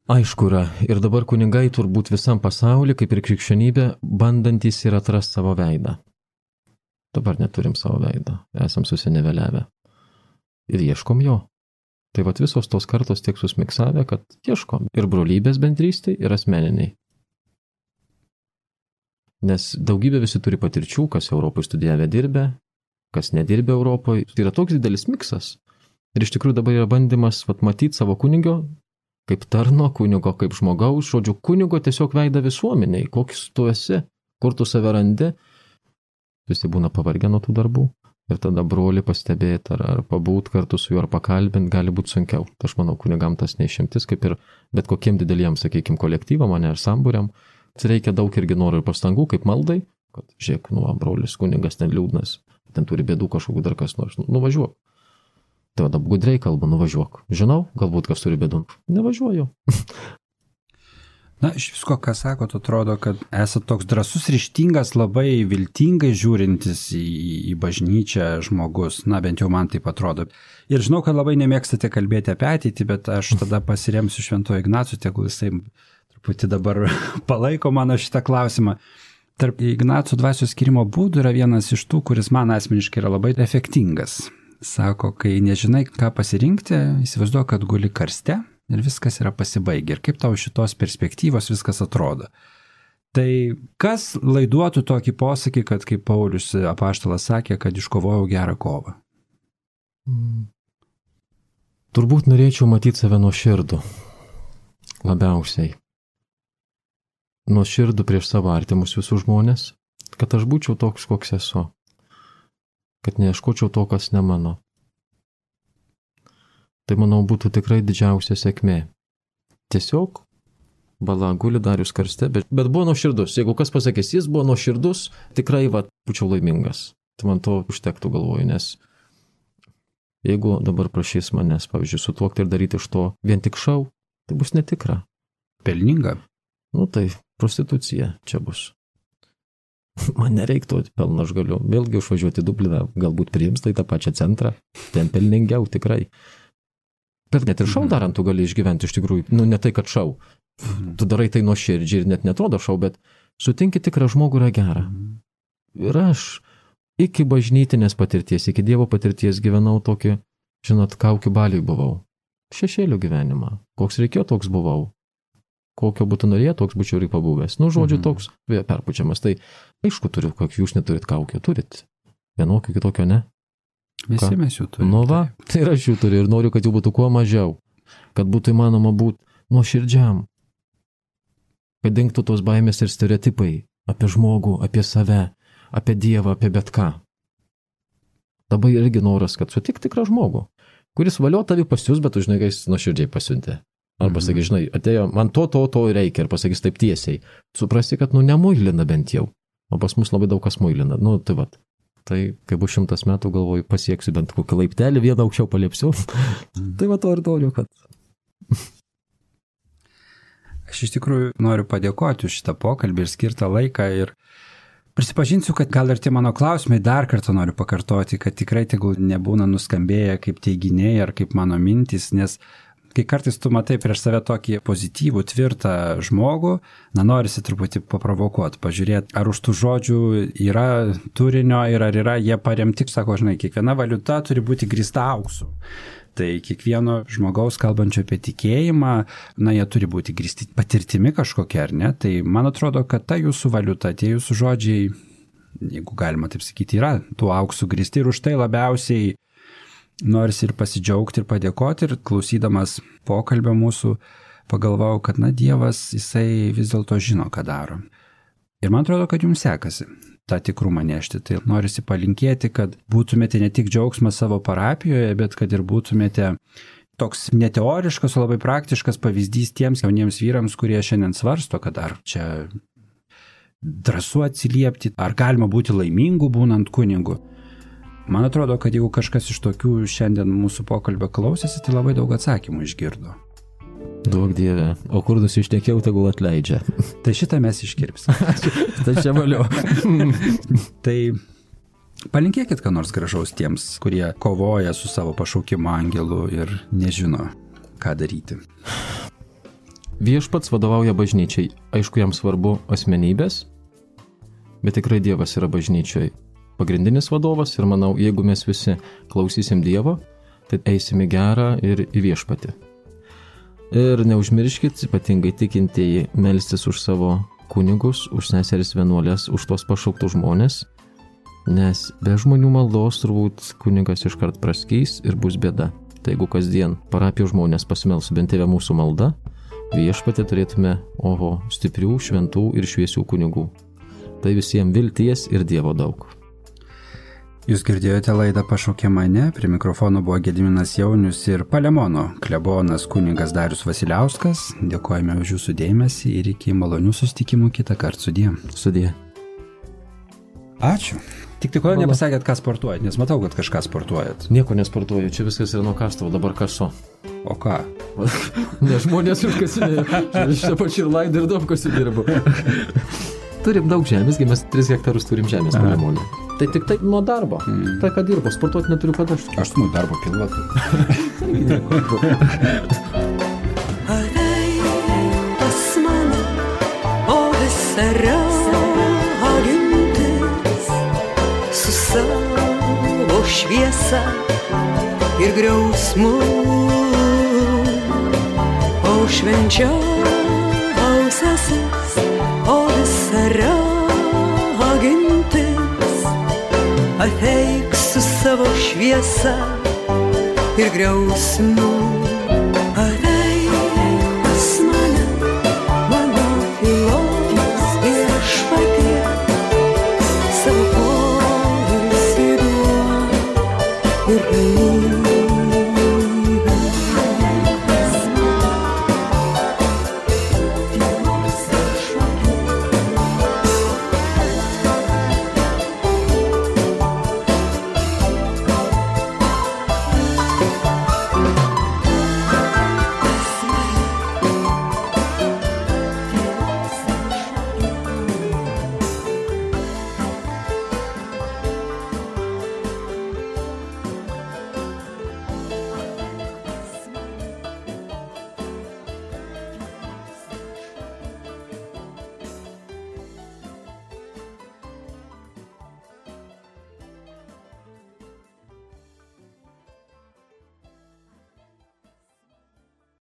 Aišku yra, ir dabar kunigai turbūt visam pasauliu, kaip ir krikščionybė, bandantys ir atrasti savo veidą. Dabar neturim savo veidą, esam susiniveliavę. Ir ieškom jo. Tai visos tos kartos tiek susmiksavę, kad ieškom ir brolybės bendrystėj, ir asmeniniai. Nes daugybė visi turi patirčių, kas Europoje studijavę dirbę, kas nedirbė Europoje. Tai yra toks didelis miksas. Ir iš tikrųjų dabar yra bandymas matyti savo kunigio, kaip tarno kunigo, kaip žmogaus, žodžiu, kunigo tiesiog veidą visuomeniai, koks tu esi, kur tu save randi. Visi būna pavargę nuo tų darbų. Ir tada brolį pastebėti, ar pabūt kartu su juo, ar pakalbinti, gali būti sunkiau. Tai aš manau, kunigam tas neišimtis, kaip ir bet kokiem dideliem, sakykime, kolektyvam, ar sambūriam. Tai reikia daug irgi norų ir pastangų, kaip maldai, kad žiūrėk, brolis kunigas ten liūdnas, ten turi bėdų kažkokių dar kas nors, nuvažiuok. Tai tada gudriai kalba, nuvažiuok. Žinau, galbūt kas turi bėdų, nevažiuoju. Iš visko, ką sakot, atrodo, kad esate toks drąsus, ryžtingas, labai viltingai žiūrintis į bažnyčią žmogus. Bent jau man taip atrodo. Ir žinau, kad labai nemėgstate kalbėti apie ateitį, bet aš tada pasiremsiu Šventuoju Ignacu, tegul jisai truputį dabar palaiko mano šitą klausimą. Tarp Ignaco dvasios skyrimo būdų yra vienas iš tų, kuris man asmeniškai yra labai efektingas. Sako, kai nežinai, ką pasirinkti, įsivaizduoju, kad guli karste. Ir viskas yra pasibaigę. Ir kaip tau šitos perspektyvos viskas atrodo. Tai kas laiduotų tokį posakį, kad kaip Paulius apaštalas sakė, kad iškovojau gerą kovą? Turbūt norėčiau matyti save nuoširdų. Labiausiai. nuoširdų prieš savo artimus visus žmonės, kad aš būčiau toks, koks esu, kad neieškočiau to, kas ne mano. Tai, manau, būtų tikrai didžiausia sėkmė. Tiesiog bala guli Darius karste, bet buvo nuoširdus. Jeigu kas pasakys, jis buvo nuoširdus, tikrai būčiau laimingas. Tai man to užtektų, galvoju, nes jeigu dabar prašys manęs, pavyzdžiui, sutuokti ir daryti iš to vien tik šou, tai bus netikra. Pelninga. Tai prostitucija čia bus. Man nereiktų pelno, aš galiu vėlgi užvažiuoti Dubliną, galbūt priims tai tą pačią centrą, ten pelningiau tikrai. Bet net ir šou darant tu gali išgyventi iš tikrųjų, ne tai, kad šou. Tu darai tai nuoširdžiai ir net netrodo šou, bet sutinki tikrą žmogų yra gera. Ir aš iki bažnytinės patirties, iki Dievo patirties gyvenau tokį, žinot, kaukių baliui buvau. Šešėlių gyvenimą. Koks reikėjo, toks buvau. Kokio būtų norėjo, toks būčiau ir pabuvęs. Žodžiu, toks perpučiamas. Tai aišku, turiu, kokį jūs neturit kaukio, turit. Vienokio, kitokio ne. Visi mes jų turime. Tai ir aš jų turiu ir noriu, kad jų būtų kuo mažiau. Kad būtų įmanoma būti nuoširdžiam. Kad dingtų tos baimės ir stereotipai apie žmogų, apie save, apie Dievą, apie bet ką. Labai irgi noras, kad sutik tikrą žmogų, kuris valio tavi pasius, bet tu žinai, kad jis nuoširdžiai pasiuntė. Arba sakys, žinai, atėjo, man to reikia ir pasakys taip tiesiai. Suprasti, kad nemuilina bent jau. O pas mus labai daug kas muilina. Tai vat. Tai kai bus 100 metų, galvoju, pasieksiu bent kokį laiptelį, vieną aukščiau paliepsiu. Tai va to ir noriu, kad... Aš iš tikrųjų noriu padėkoti už šitą pokalbį ir skirtą laiką ir prisipažinsiu, kad gal ir tie mano klausimai dar kartą noriu pakartoti, kad tikrai tegul nebūna nuskambėję kaip teiginiai ar kaip mano mintis, nes kai kartais tu matai prieš save tokį pozityvų, tvirtą žmogų, norisi truputį paprovokuoti, pažiūrėti, ar už tų žodžių yra turinio ir ar yra jie paremti, sako, žinai, kiekviena valiuta turi būti grįsta auksu. Tai kiekvieno žmogaus kalbančio apie tikėjimą, jie turi būti grįsti patirtimi kažkokia, ar ne? Tai man atrodo, kad ta jūsų valiuta, tie jūsų žodžiai, jeigu galima taip sakyti, yra tų auksų grįsti ir už tai labiausiai norisi ir pasidžiaugti ir padėkoti ir klausydamas pokalbio mūsų pagalvojau, kad Dievas, jisai vis dėlto žino, ką daro. Ir man atrodo, kad jums sekasi tą tikrumą nešti. Tai norisi palinkėti, kad būtumėte ne tik džiaugsmas savo parapijoje, bet kad ir būtumėte toks neteoriškas, o labai praktiškas pavyzdys tiems jauniems vyrams, kurie šiandien svarsto, kad ar čia drąsu atsiliepti, ar galima būti laimingu būnant kunigu. Man atrodo, kad jeigu kažkas iš tokių šiandien mūsų pokalbio klausėsi, tai labai daug atsakymų išgirdo. Duok Dieve, o kur nusišnekėjau, tegul atleidžia. Tai šitą mes iškirpsim. Tai čia valio. Tai palinkėkit ką nors gražaus tiems, kurie kovoja su savo pašaukimo angelu ir nežino, ką daryti. Viešpats vadovauja bažnyčiai. Aišku, jam svarbu asmenybės, bet tikrai Dievas yra bažnyčiai pagrindinis vadovas ir manau, jeigu mes visi klausysim Dievo, tai eisim į gerą ir į viešpatį. Ir neužmirškit, ypatingai tikintieji, melstis už savo kunigus, už seseris vienuolės, už tos pašauktų žmonės, nes be žmonių maldos turbūt kunigas iškart praskys ir bus bėda. Tai jeigu kasdien parapijos žmonės pasimels bent tėvę mūsų malda, viešpatį turėtume, stiprių, šventų ir šviesių kunigų. Tai visiems vilties ir Dievo daug. Jūs girdėjote laidą Pašaukė mane, prie mikrofono buvo Gediminas Jaunius ir Palemono klebonas kunigas Darius Vasiliauskas. Dėkojame už jūsų dėmesį ir iki malonių susitikimų kitą kartą. Sudie. Sudie. Ačiū. Tik kodėl nepasakėt, ką sportuojat, nes matau, kad kažką sportuojat. Nieko nesportuoju, čia viskas yra nuo kastuvo, dabar kaso. O ką? Ne žmonės užkasinėjo, šitą pačią ir laidą ir daug kasindirbu. Turim daug žemės, mes 3 hektarus turim žemės Palemonė. Tai tik taip nuo darbo. Tai ką dirbo, sportuoti neturiu kada. Aš nuo darbo pilotai. Ateik pas mane, o visa ragintis, su savo šviesa ir griausmu, o švenčiausiasis, o visa ragintis. Ateik su savo šviesa ir griausmu. Ateik pas mane, mano filologė. savo poilsį duok ir ramybę.